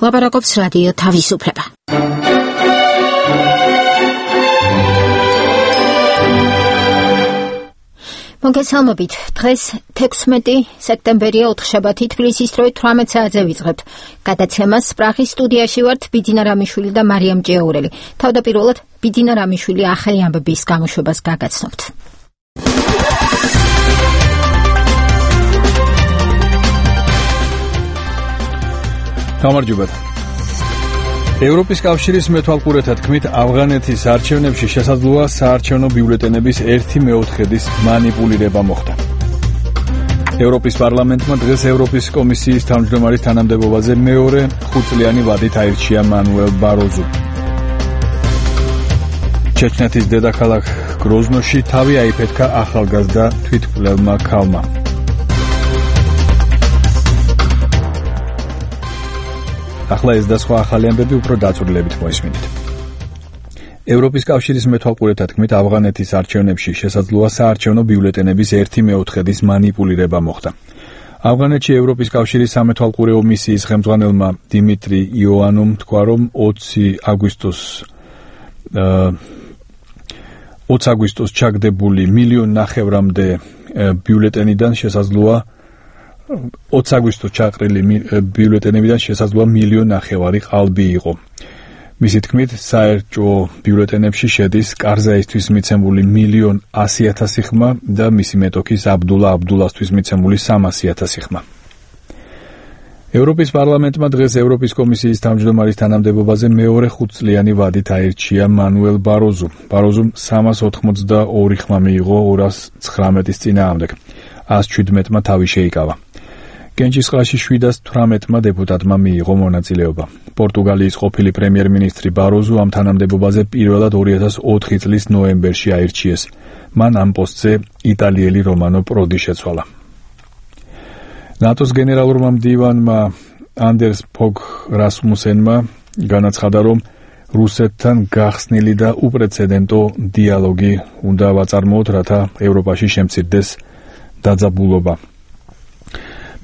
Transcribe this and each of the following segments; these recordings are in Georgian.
ლაპარაკობს რადიო თავისუფლება. მოგესალმებით. დღეს 16 სექტემბერია ოთხშაბათი თბილისის დროით 18 საათზე ვიწყებთ. გადაცემას პრაღის სტუდიაში ვართ ბიძინა რამიშვილი და მარიამ ჭიაურელი. თავდაპირველად ბიძინა რამიშვილი ახალი ამბების გამოშვებას გაგაცნობთ. გამარჯობა. ევროპის კავშირის მეთვალყურეთა თქმით, ავღანეთის არჩევნებში შესაძლოა საარჩევნო ბიულეტენების 1/4-ის მანიპულირება მოხდა. ევროპის პარლამენტმა დღეს ევროპის კომისიის თავმჯდომარის თანამდებობაზე მეორე 5-წლიანი ვადით აირჩია მანუელ ბაროზუ. ჩეჩნეთის დედაქალაქ გროზნოში თავი აიფეთქა ახალგაზრდა თვითმკვლელმა ქალმა. ახლა ეს და სხვა ახალი ამბები უფრო დაწვრილებით მოისმინეთ. ევროპის კავშირის მეთვალყურეთა თქმით, ავღანეთის არჩევნებში შესაძლოა საარჩევნო ბიულეტენების 1/4-ის მანიპულირება მოხდა. ავღანეთში ევროპის კავშირის სამეთვალყურეო მისიის ხელმძღვანელმა დიმიტრი იოანუმ თქვა, რომ 20 აგვისტოს ჩაგდებული 1.5 მილიონამდე ბიულეტენიდან შესაძლოა 20 აგვისტოს ჩაყრილი ბიულეტენებიდან შესაძლოა 1.5 მილიონი ყალბი იყო. მისი თქმით, საერჭო ბიულეტენებში შედის კარზაისთვის მიცემული 1.100.000 ხმა და მისი მეტოქის აბდულასთვის მიცემული 300.000 ხმა. ევროპის პარლამენტმა დღეს ევროპის კომისიის თავმჯდომარის თანამდებობაზე მეორე 5-წლიანი ვადით აირჩია მანუელ ბაროზუ. ბაროზუმ 382 ხმა მიიღო 219-ის წინააღმდეგ. 117-მა თავი შეიკავა. კენჭისყრაში 718-მა დეპუტატმა მიიღო მონაწილეობა. პორტუგალიის ყოფილი პრემიერ-მინისტრი ბაროზუ ამ თანამდებობაზე პირველად 2004 წლის ნოემბერში აირჩიეს. მან ამ პოსტზე იტალიელი რომანო პროდი შეცვალა. ნატოს გენერალურმა მდივანმა ანდერს ფოგ რასმუსენმა განაცხადა, რომ რუსეთთან გახსნილი და უპრეცედენტო დიალოგი უნდა ვაწარმოოთ, რათა ევროპაში შემცირდეს დაძაბულობა.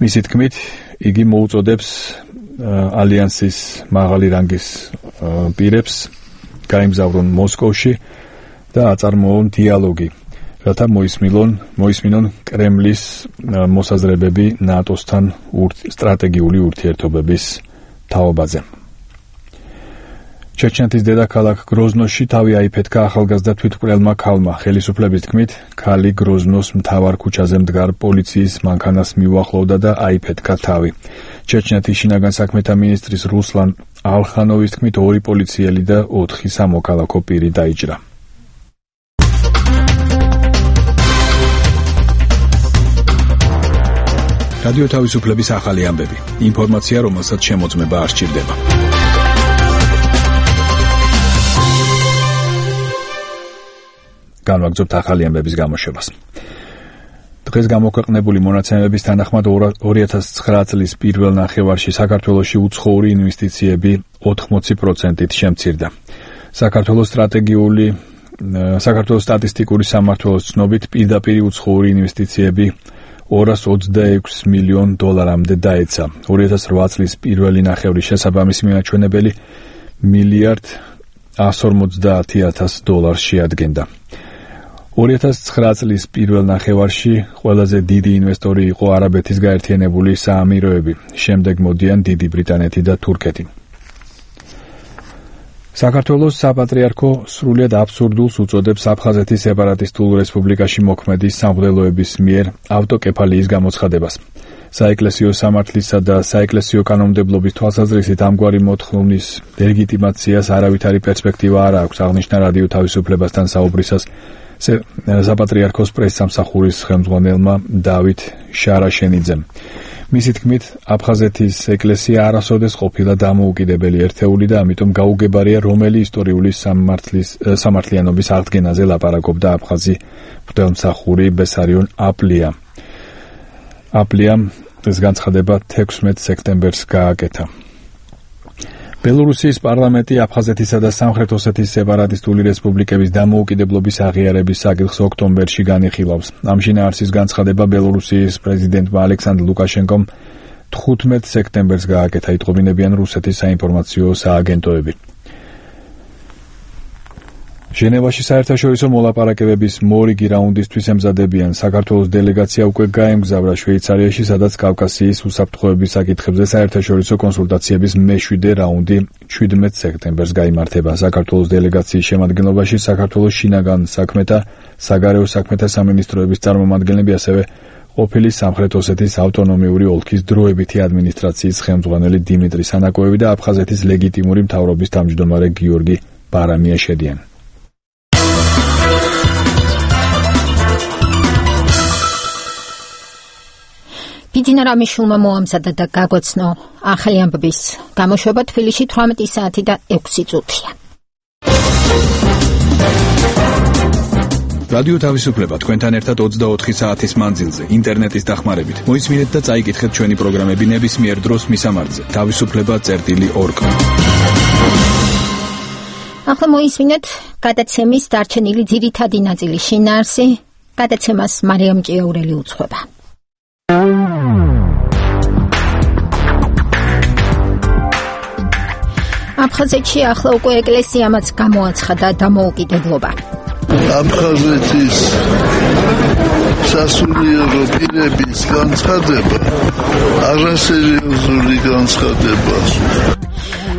მისი თქმით, იგი მოუწოდებს ალიანსის მაღალი რანგის პირებს გაემგზავრონ მოსკოვში და აწარმოონ დიალოგი, რათა მოისმინონ კრემლის მოსაზრებები ნატოსთან სტრატეგიული ურთიერთობების თაობაზე. ჩეჩნეთის დედაქალაქ გროზნოში თავი აიფეთქა ახალგაზრდა თვითმკვლელმა ქალმა. ხელისუფლების თქმით, ქალი გროზნოს მთავარ ქუჩაზე მდგარ პოლიციის მანქანას მიუახლოვდა და აიფეთქა თავი. ჩეჩნეთის შინაგან საქმეთა მინისტრის რუსლან ალხანოვის თქმით, 2 პოლიციელი და 4 სამოქალაქო პირი დაიჭრა. რადიო თავისუფლების ახალი ამბები. ინფორმაცია, რომელსაც შემოწმება არ სჭირდება. განვაგრძობთ ახალი ამბების გამოშვებას. დღეს გამოქვეყნებული მონაცემების თანახმად 2009 წლის პირველ ნახევარში საქართველოში უცხოური ინვესტიციები 80%-ით შემცირდა. საქართველოს სტატისტიკური სამმართველოს ცნობით პირდაპირ უცხოური ინვესტიციები $226 მილიონ-მდე დაეცა. 2008 წლის პირველი ნახევრის შესაბამისი მიმაჩვენებელი $1.150 შეადგენდა. 2009 წლის პირველ ნახევარში ყველაზე დიდი ინვესტორი იყო არაბეთის გაერთიანებული საამიროები, შემდეგ მოდიან დიდი ბრიტანეთი და თურქეთი. საქართველოს საპატრიარქო სრულიად აბსურდულს უწოდებს აფხაზეთის სეპარატისტულ რესპუბლიკაში მოქმედი სამღვდელოების მიერ ავტოკეფალიის გამოცხადებას. საეკლესიო სამართლისა და საეკლესიო კანონმდებლობის თვალსაზრისით ამგვარი მოთხოვნის ლეგიტიმაციას არავითარი პერსპექტივა არ აქვს, აღნიშნა რადიო თავისუფლებასთან საუბრისას საპატრიარქოს პრესსამსახურის ხელმძღვანელმა დავით შარაშენიძემ. მისი თქმით, აფხაზეთის ეკლესია არასოდეს ყოფილა დამოუკიდებელი ერთეული და ამიტომ გაუგებარია რომელი ისტორიული სამართლიანობის აღდგენაზე ლაპარაკობდა აფხაზი მღვდელმსახური ბესარიონ აპლია. აპლიამ ეს განცხადება 16 სექტემბერს გააკეთა. ბელორუსიის პარლამენტი აფხაზეთისა და სამხრეთ ოსეთის სეპარატისტული რესპუბლიკების დამოუკიდებლობის აღიარების საკითხს ოქტომბერში განიხილავს. ამ შინაარსის განცხადება ბელორუსიის პრეზიდენტმა ალექსანდრ ლუკაშენკომ 15 სექტემბერს გააკეთა, იტყობინებიან რუსეთის საინფორმაციო სააგენტოები. ჟენევაში საერთაშორისო მოლაპარაკებების მორიგი რაუნდისთვის ემზადებიან. საქართველოს დელეგაცია უკვე გაემგზავრა შვეიცარიაში, სადაც კავკასიის უსაფრთხოების საკითხებზე საერთაშორისო კონსულტაციების მე-7 რაუნდი 17 სექტემბერს გაიმართება. საქართველოს დელეგაციის შემადგენლობაში საქართველოს შინაგან საქმეთა, საგარეო საქმეთა სამინისტროების წარმომადგენლები, ასევე ყოფილი სამხრეთ ოსეთის ავტონომიური ოლქის დროებითი ადმინისტრაციის ხელმძღვანელი დიმიტრი სანაკოევი და აფხაზეთის ლეგიტიმური მთავრობის თავმჯდომარე გიორგი ბარამია შედიან. ბიძინა რამიშულმა მოამზადა და გაგვეცნო ახალი ამბების გამოშვება თბილისში 18 საათი და 6 წუთია. რადიო თავისუფლება თქვენთან ერთად 24 საათის მანძილზე, ინტერნეტის დახმარებით. მოისმინეთ და წაიკითხეთ ჩვენი პროგრამები ნებისმიერ დროს მისამართზე. თავისუფლება.org. ახლა მოისმინეთ გადაცემის დარჩენილი ძირითადი ნაწილი შინაარსი. გადაცემას მარიამ ჭიაურელი უძღვება. აფხაზეთში ახლა უკვე ეკლესიამაც გამოაცხადა დამოუკიდებლობა. აფხაზეთის სასულიერო პირების განცხადება არასერიოზული განცხადებაა.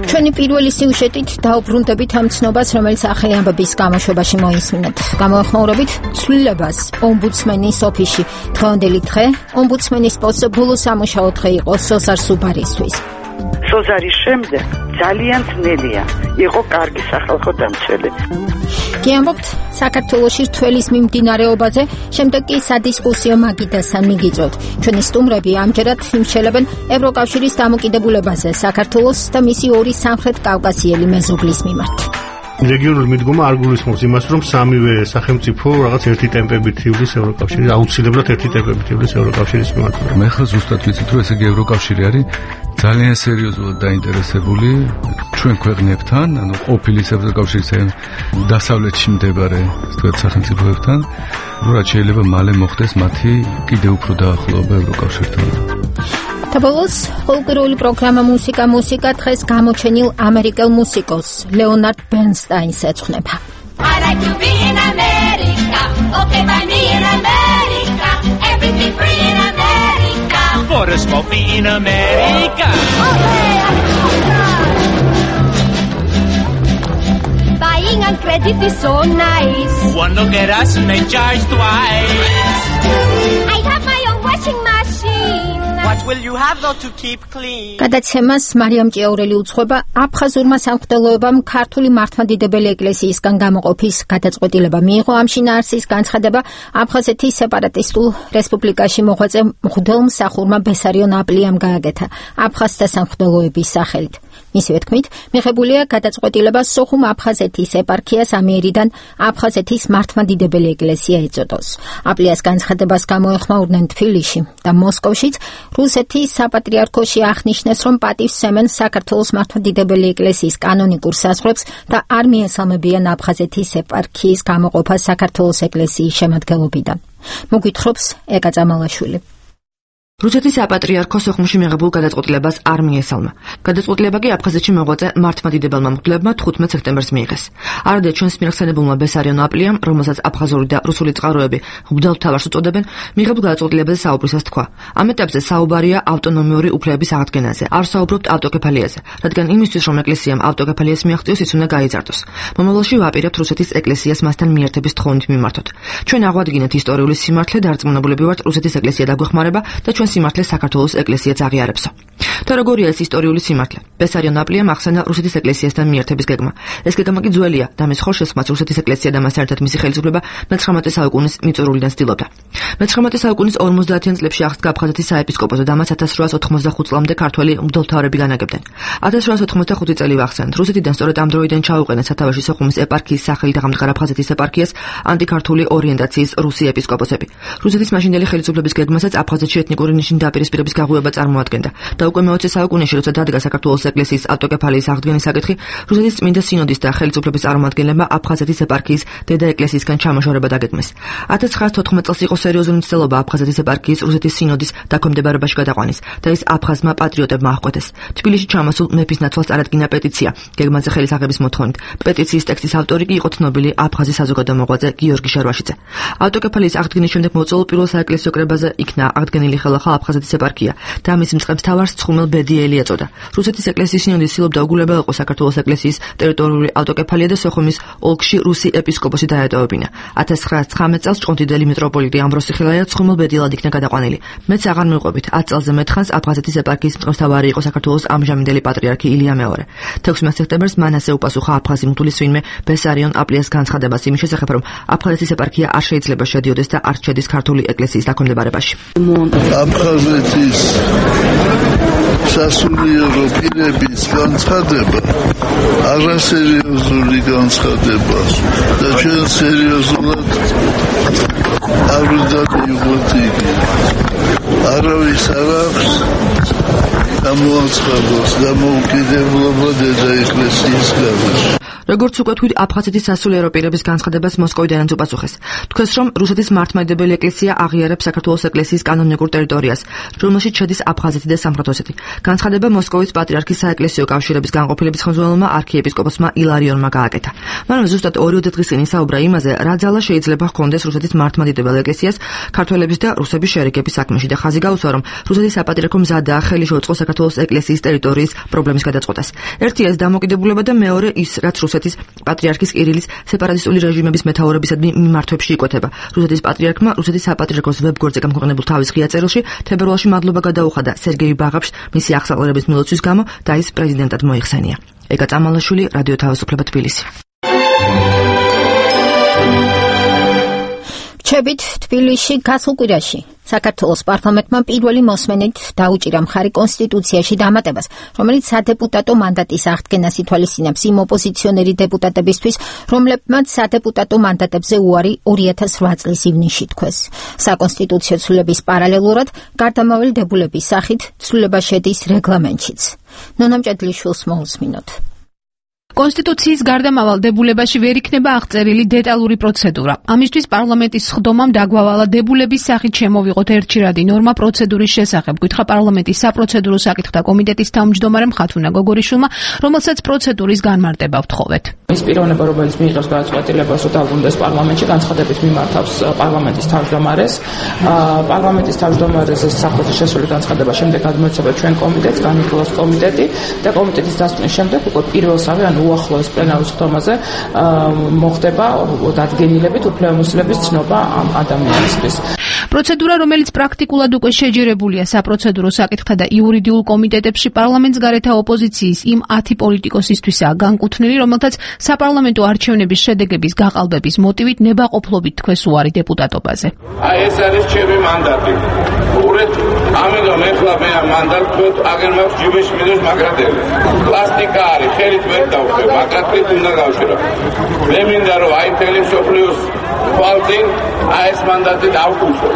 ჩვენი პირველი სიუჟეტით დაუბრუნდებით ამ ცნობას, რომელიც ახალი ამბების გამოშვებაში მოისმინეთ. გამოეხმაურებით ცვლილებას ომბუდსმენის ოფისში. დღევანდელი დღე ომბუდსმენის პოსტზე ბოლო სამუშაო დღე იყო სოზარ სუბარისთვის. სოზარის შემდეგ ძალიან ძნელია იყო კარგი სახალხო დამცველი. კი ამბობთ საქართველოში რთველის მიმდინარეობაზე, შემდეგ კი სადისკუსიო მაგიდასთან მიგიწვევთ. ჩვენი სტუმრები ამჯერად იმსჯელებენ ევროკავშირის დამოკიდებულებაზე საქართველოს და მისი ორი სამხრეთ კავკასიელი მეზობლის მიმართ. რეგიონული მიდგომა არ გულისხმობს იმას, რომ სამივე სახელმწიფო რაღაც ერთი ტემპებით ივლის ევროკავშირის, აუცილებლად ერთი ტემპებით ივლის ევროკავშირის მიმართულებით. მე ხა ზუსტად ვიცით, რომ ესე იგი ევროკავშირი არის ძალიან სერიოზულად დაინტერესებული ჩვენ ქვეყნებთან, ანუ ყოფილი ევროკავშირის დასავლეთში მდებარე სახელმწიფოებთან, რომ რაც შეიძლება მალე მოხდეს მათი კიდევ უფრო დაახლოება ევროკავშირთან. თაბოლოს ფოლკლორული პროგრამა მუსიკა დღეს გამოჩენილ ამერიკელ მუსიკოს ლეონარდ ბერნსტაინს ეძღვნება. I like to be in America, okay by me in America, everything free in America. For a smoke me in America. Buying on credit is so nice. One look at us and they charge twice. I have my own washing machine. What will you have though to keep clean? გადაცემას მარიამ ჭიაურელი უძღვება. აფხაზურმა სამღვდელოებამ ქართული მართლმადიდებელი ეკლესიისგან გამოყოფის გადაწყვეტილება მიიღო. ამ შინაარსის განცხადება აფხაზეთის სეპარატისტულ რესპუბლიკაში მოღვაწე მღვდელმსახურმა ბესარიონ აპლიამ გააკეთა აფხაზთა სამღვდელოების სახელით. მისივე თქმით, მიღებულია გადაწყვეტილება სოხუმ აფხაზეთის ეპარქიას ამიერიდან აფხაზეთის მართლმადიდებელი ეკლესია ეწოდოს. აპლიას განცხადებას გამოეხმაურნენ თბილისში და მოსკოვშიც. რუსეთის საპატრიარქოში აღნიშნეს, რომ პატივს სცემენ საქართველოს მართლმადიდებელი ეკლესიის კანონიკურ საზღვრებს და არ მიესალმებიან აფხაზეთის ეპარქიის გამოყოფას საქართველოს ეკლესიის შემადგენლობიდან. მოგვითხრობს ეკა წამალაშვილი. რუსეთის საპატრიარქო სოხუმში მიღებულ გადაწყვეტილებას არ მიესალმა. გადაწყვეტილება კი აფხაზეთში მოღვაწე მართლმადიდებელმა მღვდლებმა 15 სექტემბერს მიიღეს. არადე ჩვენს მიღხსენებულმა ბესარიონ აპლიამ, რომელსაც აფხაზური და რუსული წყაროები მღვდელმთავარს უწოდებენ, მიღებულ გადაწყვეტილებაზე საუბრისას თქვა. ამ ეტაპზე საუბარია ავტონომიური უფლებების აღდგენაზე. არ საუბრობთ ავტოკეფალიაზე, რადგან იმისთვის, რომ ეკლესიამ ავტოკეფალიას მიაღწიოს, ის უნდა გაიზარდოს. მომავალში ვაპირებთ რუსეთის ეკლესიას მასთან მიერთების თხოვნით მიმართოთ. ჩვენ აღვადგინეთ ისტორიული სიმართლე და არწმუნებულები ვართ რუსეთის ეკლესია დაგვეხმარება და ჩვენ სიმართლე საქართველოს ეკლესიაც აღიარებსო. და როგორია ეს ისტორიული სიმართლე? ბესარიონ აპლიამ ახსენა რუსეთის ეკლესიასთან მიერთების გეგმა. ეს გეგმა კი ძველია და მის ხორშესმაც რუსეთის ეკლესია და მასთან ერთად მისი ხელისუფლება მე-19 საუკუნის მიწურულიდან ცდილობდა. მე-19 საუკუნის 50-იან წლებში აღსდგა აფხაზეთის საეპისკოპოსო და მას 1885 წლამდე ქართველი მღვდელმთავრები განაგებდნენ. 1885 წელი ვახსენეთ. რუსეთიდან სწორედ ამ დროიდან ჩაუყენეს სათავეში სოხუმის ეპარქიის სახელით აღამდგარ აფხაზეთის ეპარქიას ანტიქართული ორიენტაციის რუსი ეპისკოპოსები. რუსეთის მაშინდელი ხელისუფლების გეგმასაც აფხაზეთში ეთნიკური პოლიტიკური ნიშნის დაპირისპირების გაღვივება წარმოადგენდა. და უკვე მე-20 საუკუნეში, როცა დადგა საქართველოს ეკლესიის ავტოკეფალიის აღდგენის საკითხი, რუსეთის წმინდა სინოდის და ხელისუფლების წარმომადგენლებმა აფხაზეთის ეპარქიის დედა ეკლესიისგან ჩამოშორება დაგეგმეს. 1914 წელს იყო სერიოზული მცდელობა აფხაზეთის ეპარქიის რუსეთის სინოდის დაქვემდებარებაში გადაყვანის და ის აფხაზმა პატრიოტებმა აღკვეთეს. თბილისში ჩამოსულ მეფის ნაცვალს წარადგინა პეტიცია გეგმაზე ხელის აღების მოთხოვნით. პეტიციის ტექსტის ავტორი კი იყო ცნობილი აფხაზი საზოგადო მოღვაწე გიორგი შარვაშიძე. ავტოკეფალიის აღდგენის შემდეგ მოწვეულ პირველ საეკლესიო კრებაზე იქნა აღდგენილი ხელახლა აფხაზეთის ეპარქია და მის მწყემსთავარს ცხუმელ ბედიელი ეწოდა. რუსეთის ეკლესიის სინოდი ცდილობდა უგულებელიყო საქართველოს ეკლესიის ტერიტორიული ავტოკეფალია და სოხუმის ოლქში რუსი ეპისკოპოსი დაეტოვებინა. 1919 წელს ჭყონდიდელი მიტროპოლიტი ამბროსი ხილაია ცხუმელ ბედიელად იქნა გადაყვანილი. მეც აღარ მივყვებით 10 წელზე მეტხანს აფხაზეთის ეპარქიის მწყემსთავარი იყო საქართველოს ამჟამინდელი პატრიარქი ილია მეორე. 16 სექტემბერს მან ასე უპასუხა აფხაზი მღვდლის ვინმე ბესარიონ აპლიას განცხადებას იმის შესახებ, რომ აფხაზეთის ეპარქია არ შეიძლება შედიოდეს და არ შედის ქართული ეკლესიის დაქვემდებარებაში. აფხაზეთის სასულიერო პირების განცხადება არასერიოზული განცხადება და ჩვენ სერიოზულად არ უნდა მივიღოთ იგი. არავის არ აქვს გამოაცხადოს დამოუკიდებლობა დედა ეკლესიის გარეშე. როგორც უკვე თქვით, აფხაზეთის სასულიერო პირების განცხადებას მოსკოვიდანაც უპასუხეს. თქვეს, რომ რუსეთის მართლმადიდებელი ეკლესია აღიარებს საქართველოს ეკლესიის კანონიკურ ტერიტორიას, რომელშიც შედის აფხაზეთი და სამხრეთ-ოსეთი. განცხადება მოსკოვის პატრიარქის საეკლესიო კავშირების განყოფილების ხელმძღვანელმა არქიეპისკოპოსმა ილარიონმა გააკეთა. მანვე ზუსტად 2 დღის წინ ისაუბრა იმაზე, რა ძალა შეიძლება ჰქონდეს რუსეთის მართლმადიდებელ ეკლესიას ქართველების და რუსების შერიგების საქმეში და ხაზი გაუსვა, რომ რუსეთის საპატრიარქო მზადაა ხელი შეუწყოს საქართველოს ეკლესიის ტერიტორიის პრობლემის გადაწყვეტას. ერთი ეს დამოკიდებულება და მეორე ის, რაც რუსეთის პატრიარქის კირილის სეპარატისტული რეჟიმების მეთაურებისადმი მიმართვებში იკვეთება. რუსეთის პატრიარქმა რუსეთის საპატრიარქოს ვებგვერდზე გამქვეყნებულ თავის ღია წერილში თებერვალში მადლობა გადაუხადა სერგეი ბაღაფშს მისი აღსაყრელების მილოცვის გამო და ის პრეზიდენტად მოიხსენია. ეკა წამალაშვილი, რადიო თავისუფლება, თბილისი. რჩებით თბილისში გასულ კვირაში საქართველოს პარლამენტმა პირველი მოსმენით დაუჭირა მხარი კონსტიტუციაში დამატებას, რომელიც სადეპუტატო მანდატის აღდგენას ითვალისწინებს იმ ოპოზიციონერი დეპუტატებისთვის, რომლებმაც სადეპუტატო მანდატებზე უარი 2008 წლის ივნისში თქვეს. საკონსტიტუციო ცვლილების პარალელურად გარდამავალდებულების სახით ცვლილება შედის რეგლამენტშიც. ნონამ ჭედლიშვილს მოусმინოთ. კონსტიტუციის გარდამავალ დებულებაში ვერ იქნება აღწერილი დეტალური პროცედურა. ამისთვის პარლამენტის სხდომამ დაგვავალა დებულების სახით შემოვიღოთ ერთჩირადი ნორმა პროცედურის შესახებ, გითხრა პარლამენტის საპროცედურო საკითხთა კომიტეტის თავმჯდომარემ ხათუნა გოგორიშვილმა, რომელსაც პროცედურის განმარტება ვთხოვეთ. ის პიროვნება, რომელიც მიიღებს გადაწყვეტილებას, რომ დაბრუნდეს პარლამენტში, განცხადებით მიმართავს პარლამენტის თავმჯდომარეს. პარლამენტის თავმჯდომარეს სახელმწიფოს შესული განცხადება შემდეგ გადმოეცემა ჩვენ კომიტეტს, განიხილავს კომიტეტი და კომიტეტის დასკვნის შემდეგ უკვე პირველსავე უახლოეს პლენარულ სხდომაზე მოხდება დადგენილებით უფლებამოსილების ცნობა ამ ადამიანისთვის. პროცედურა, რომელიც პრაქტიკულად უკვე შეჯერებულია საპროცედურო საკითხთა და იურიდიულ კომიტეტებში, პარლამენტს გარეთა ოპოზიციის იმ 10 პოლიტიკოსისთვისაა განკუთვნილი, რომელთაც საპარლამენტო არჩევნების შედეგების გაყალბების მოტივით ნებაყოფლობით თქვეს უარი დეპუტატობაზე. ეს არის ჩემი მანდატი. ურეთ, ამიტომ ეხლა მე ამ მანდატს აგერ მაქვს ჯიბეში მინუს მაგრატელი. პლასტიკა არის, ხელით ვერ დავხებ, მაგრატით უნდა გავშირო. მე მინდა რომ აი მთელი მსოფლიოს თვალწინ აი ეს მანდატი დავკუშო.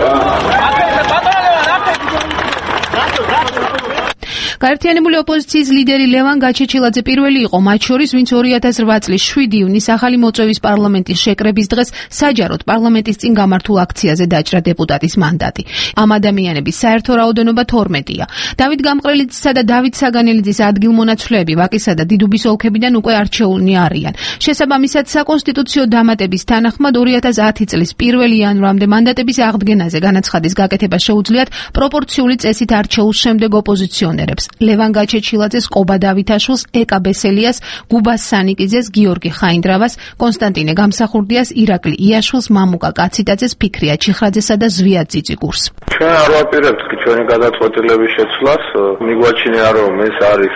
გაერთიანებული ოპოზიციის ლიდერი ლევან გაჩეჩილაძე პირველი იყო მათ შორის, ვინც 2008 წლის 7 ივნის ახალი მოწვევის პარლამენტის შეკრების დღეს საჯაროდ პარლამენტის წინ გამართულ აქციაზე დაჭრა დეპუტატის მანდატი. ამ ადამიანების საერთო რაოდენობა 12-ია. დავით გამყრელიძისა და დავით საგანელიძის ადგილმონაცვლეები ვაკისა და დიდუბის ოლქებიდან უკვე არჩეულნი არიან. შესაბამისად, საკონსტიტუციო დამატების თანახმად 2010 წლის 1 იანვრამდე მანდატების აღდგენაზე განაცხადის გაკეთება შეუძლიათ პროპორციული წესით არჩეულ შემდეგ ოპოზიციონერებს. ლევან გაჩეჩილაძეს, ყობა დავითაშვილს, ეკა ბესელიას, გუბას სანიკიძეს, გიორგი ხაინდრავას, კონსტანტინე გამსახურდიას, ირაკლი იაშვილს, მამუკა კაციტაძეს, ფიქრია ჩიხრაძესა და ზვიად ძიწიგურს. ჩვენ არ ვაპირებთ ჩვენი გადაწყვეტილების შეცვლას, მიგვაჩნია რომ ეს არის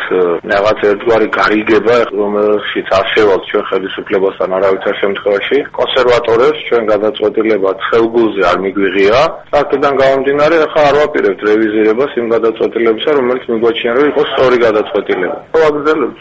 რაღაც ერთგვარი გარიგება, რომელშიც არსებობს ჩვენ ხელისუფლებასთან არავითარ შემთხვევაში. კონსერვატორებს ჩვენ გადაწყვეტილება ხელგულზე არ მიგვიღია. აქედან გამომდინარე, ახლა არ ვაპირებთ რევიზირებას იმ გადაწყვეტილებისა, რომელიც მიგვაჩნია მიგოჩნია რომ იყოს სწორი გადაწყვეტილება. ვაგრძელებთ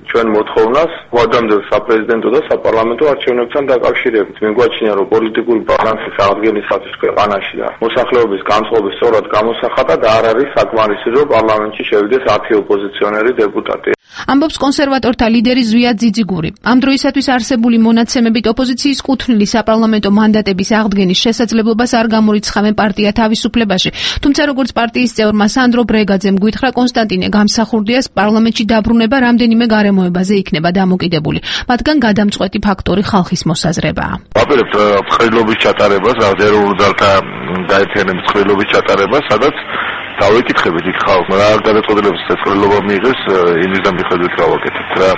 ჩვენ მოთხოვნას ვადამდელ საპრეზიდენტო და საპარლამენტო არჩევნებთან დაკავშირებით. მიგოჩნია რომ პოლიტიკური ბალანსის აღდგენისათვის ქვეყანაში და მოსახლეობის განწყობის სწორად გამოსახატა და არ არის საკმარისი რომ პარლამენტში შევიდეს 10 ოპოზიციონერი დეპუტატი. ამბობს კონსერვატორთა ლიდერი ზვიად ძიძიგური. ამ დროისათვის არსებული მონაცემებით ოპოზიციის კუთვნილი საპარლამენტო მანდატების აღდგენის შესაძლებლობას არ გამორიცხავენ პარტია თავისუფლებაში. თუმცა როგორც პარტიის წევრმა სანდრო ბრეგაძემ გვითხრა, კონსტანტინე გამსახურდიას პარლამენტში დაბრუნება რამდენიმე გარემოებაზე იქნება დამოკიდებული. მათგან გადამწყვეტი ფაქტორი ხალხის მოსაზრებაა. ვაპირებთ ხრილობის ჩატარებას, ეროვნულ ძალთა გაერთიანების ხრილობის ჩატარებას, სადაც დავიკითხებით იქ ხალხმა რა გადაწყვეტილებას წესრიგება მიიღეს იმის და მიხედვით რა ვაკეთებთ რა.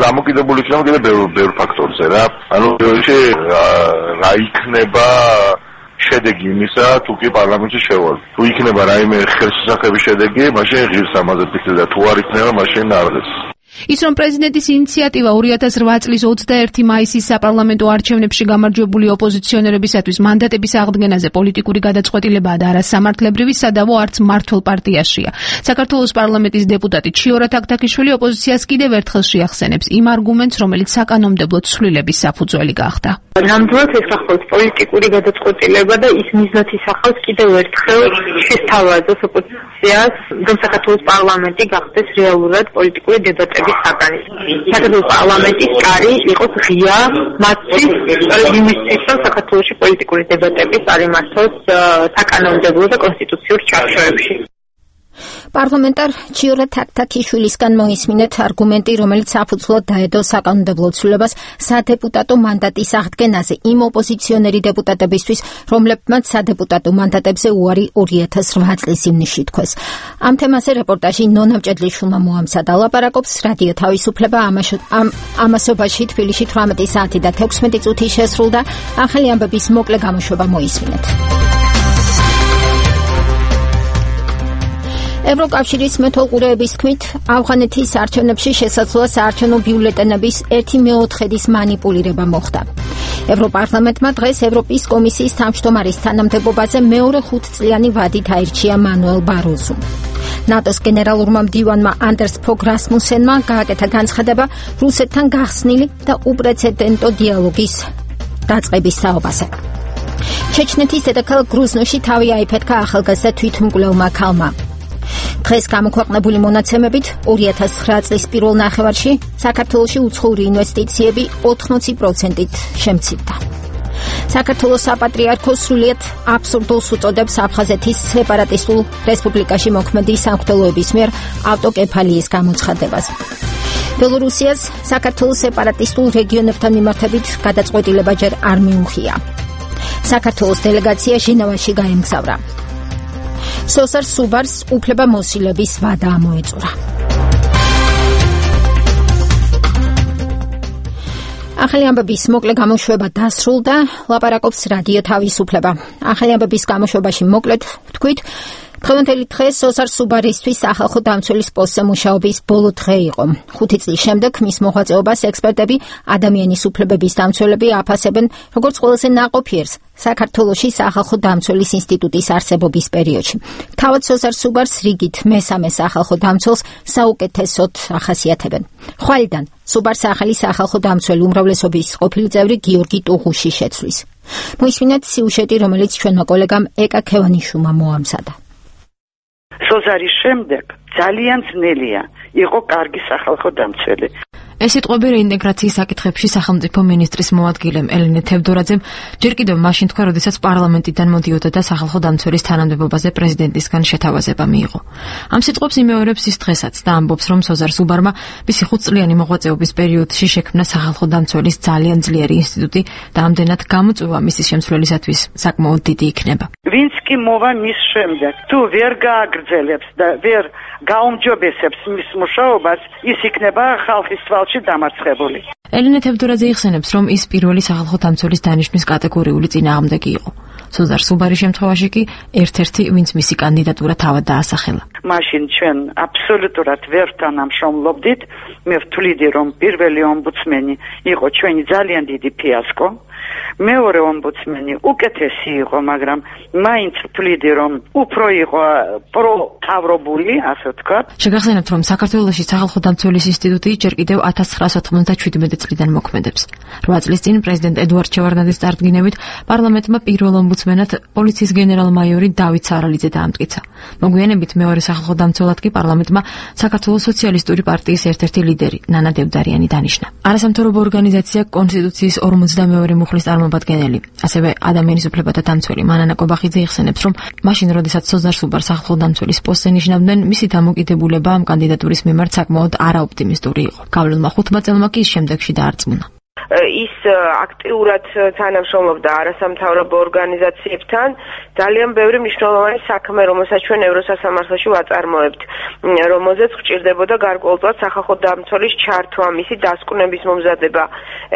დამოკიდებული იქნება კიდევ ბევრ ფაქტორზე რა. ანუ რა იქნება შედეგი იმისა თუ კი პარლამენტში შევალ. თუ იქნება რაიმე ხელშესახების შედეგი, მაშინ ღირს ამაზე ფიქრი და თუ არ იქნება, მაშინ არღეს. ის რომ პრეზიდენტის ინიციატივა 2008 წლის 21 მაისის საპარლამენტო არჩევნებში გამარჯვებული ოპოზიციონერებისათვის მანდატების აღდგენაზე პოლიტიკური გადაწყვეტილებაა და არა სამართლებრივი, სადავო არც მმართველ პარტიაშია. საქართველოს პარლამენტის დეპუტატი ჩიორა თაქთაქიშვილი ოპოზიციას კიდევ ერთხელ შეახსენებს იმ არგუმენტს, რომელიც საკანონმდებლო ცვლილების საფუძველი გახდა. ნამდვილად ეს ახალ პოლიტიკური გადაწყვეტილება და ის მიზნით ახავს კიდევ ერთხელ შესთავაზოს ოპოზიციას, რომ საქართველოს პარლამენტი გახდეს რეალურად პოლიტიკური დებატების საკანი. საქართველოს პარლამენტის კარი იყოს ღია მათთვის იმისთვის, რომ საქართველოში პოლიტიკური დებატები წარიმართოს საკანონმდებლო და კონსტიტუციურ ჩარჩოებში. პარლამენტარ ჩიორა თაქთაქიშვილისგან მოისმინეთ არგუმენტი, რომელიც საფუძვლად დაედო საკანონმდებლო ცვლილებას სადეპუტატო მანდატის აღდგენაზე იმ ოპოზიციონერი დეპუტატებისთვის, რომლებმაც სადეპუტატო მანდატებზე უარი 2008 წლის ივნისში თქვეს. ამ თემაზე რეპორტაჟი ნონა მჭედლიშვილმა მოამზადა. ლაპარაკობს რადიო თავისუფლება. ამასობაში თბილისში 18 საათი და 16 წუთი შესრულდა. ახალი ამბების მოკლე გამოშვება მოისმინეთ. ევროკავშირის მეთვალყურეების თქმით, ავღანეთის არჩევნებში შესაძლოა საარჩევნო ბიულეტენების 1/4-ის მანიპულირება მოხდა. ევროპარლამენტმა დღეს ევროპის კომისიის თავმჯდომარის თანამდებობაზე მეორე 5 წლიანი ვადით აირჩია მანუელ ბაროზუ. ნატოს გენერალურმა მდივანმა ანდერს ფოგ რასმუსენმა გააკეთა განცხადება რუსეთთან გახსნილი და უპრეცედენტო დიალოგის დაწყების საუბარზე. ჩეჩნეთის დედაქალაქ გრუზნოში თავი აიფეთქა ახალგაზრდა თვითმკვლელმა ქალმა. დღეს გამოქვეყნებული მონაცემებით 2009 წლის პირველ ნახევარში საქართველოში უცხოური ინვესტიციები 80%-ით შემცირდა. საქართველოს საპატრიარქო სრულიად აბსურდულს უწოდებს აფხაზეთის სეპარატისტულ რესპუბლიკაში მოქმედი სამღვდელოების მიერ ავტოკეფალიის გამოცხადებას. ბელორუსიას საქართველოს სეპარატისტულ რეგიონებთან მიმართებით გადაწყვეტილება ჯერ არ მიუღია. საქართველოს დელეგაცია ჟენევაში გაემგზავრა. სოსარ სუბარს უფლება მოსილების ვადა ამოეწურა. ახალი ამბების მოკლე გამოშვება დასრულდა. ლაპარაკობს რადიო თავისუფლება. ახალი ამბების გამოშვებაში მოკლედ ვთქვით, დღევანდელი დღე სოსარ სუბარისთვის სახალხო დამცველის პოსტზე მუშაობის ბოლო დღე იყო. 5 წლის შემდეგ მის მოღვაწეობას ექსპერტები ადამიანის უფლებების დამცველები აფასებენ როგორც ყველაზე ნაყოფიერს საქართველოში სახალხო დამცველის ინსტიტუტის არსებობის პერიოდში. თავად სოსარ სუბარს რიგით მესამე სახალხო დამცველს საუკეთესოდ ახასიათებენ. ხვალიდან სუბარს ახალი სახალხო დამცველი უმრავლესობის ყოფილი წევრი გიორგი ტუღუში შეცვლის. მოისმინეთ სიუჟეტი, რომელიც ჩვენმა კოლეგამ ეკა ქევანიშვილმა მოამზადა. სოზარის შემდეგ ძალიან ძნელია იყო კარგი სახალხო დამცველი. ეს სიტყვები რეინტეგრაციის საკითხებში სახელმწიფო მინისტრის მოადგილემ ელენე თევდორაძემ ჯერ კიდევ მაშინ თქვა, როდესაც პარლამენტიდან მოდიოდა და სახალხო დამცველის თანამდებობაზე პრეზიდენტისგან შეთავაზება მიიღო. ამ სიტყვებს იმეორებს ის დღესაც და ამბობს, რომ სოზარ სუბარმა მისი 5 წლიანი მოღვაწეობის პერიოდში შექმნა სახალხო დამცველის ძალიან ძლიერი ინსტიტუტი და ამდენად გამოწვევა მისი შემცვლელისათვის საკმაოდ დიდი იქნება. ვინც კი მოვა მის შემდეგ, თუ ვერ გააგრძელებს და ვერ გაუმჯობესებს მის მუშაობას, ის იქნება ხალხის თვალში დამარცხებული. ელენე თევდორაძე იხსენებს, რომ ის პირველი სახალხო დამცველის დანიშვნის კატეგორიული წინააღმდეგი იყო. სოზარ სუბარის შემთხვევაში კი ერთ-ერთი, ვინც მისი კანდიდატურა თავად დაასახელა. მაშინ ჩვენ აბსოლუტურად ვერ თანამშრომლობდით. მე ვთვლიდი, რომ პირველი ომბუდსმენი იყო ჩვენი ძალიან დიდი ფიასკო. მეორე ომბუდსმენი უკეთესი იყო, მაგრამ მაინც ვთვლიდი, რომ უფრო იყო პროთავრობული, ასე ვთქვათ. შეგახსენებთ, რომ საქართველოში სახალხო დამცველის ინსტიტუტი ჯერ კიდევ 1997 წლიდან მოქმედებს. 8 წლის წინ პრეზიდენტ ედუარდ შევარდნაძის წარდგინებით პარლამენტმა პირველ ომბუდსმენად პოლიციის გენერალ-მაიორი დავით სარალიძე დაამტკიცა. მოგვიანებით მეორე სახალხო დამცველად კი პარლამენტმა საქართველოს სოციალისტური პარტიის ერთ-ერთი ლიდერი ნანა დევდარიანი დანიშნა. არასამთავრობო ორგანიზაცია კონსტიტუციის 52 მუხლის წარმომადგენელი, ასევე ადამიანის უფლებათა დამცველი მანანა კობახიძე იხსენებს, რომ მაშინ, როდესაც სოზარ სუბარ სახალხო დამცველის პოსტზე ნიშნავდნენ, მისი დამოკიდებულება ამ კანდიდატურის მიმართ საკმაოდ არაოპტიმისტური იყო. გავლილმა 5 წელმა კი ის შემდეგში დაარწმუნა. ის აქტიურად თანამშრომლობდა არასამთავრობო ორგანიზაციებთან, ძალიან ბევრი მნიშვნელოვანი საქმე, რომელსაც ჩვენ ევროსასამართლოში ვაწარმოებთ, რომელზეც გვჭირდებოდა გარკვეულწილად სახალხო დამცველის ჩართვა, მისი დასკვნების მომზადება.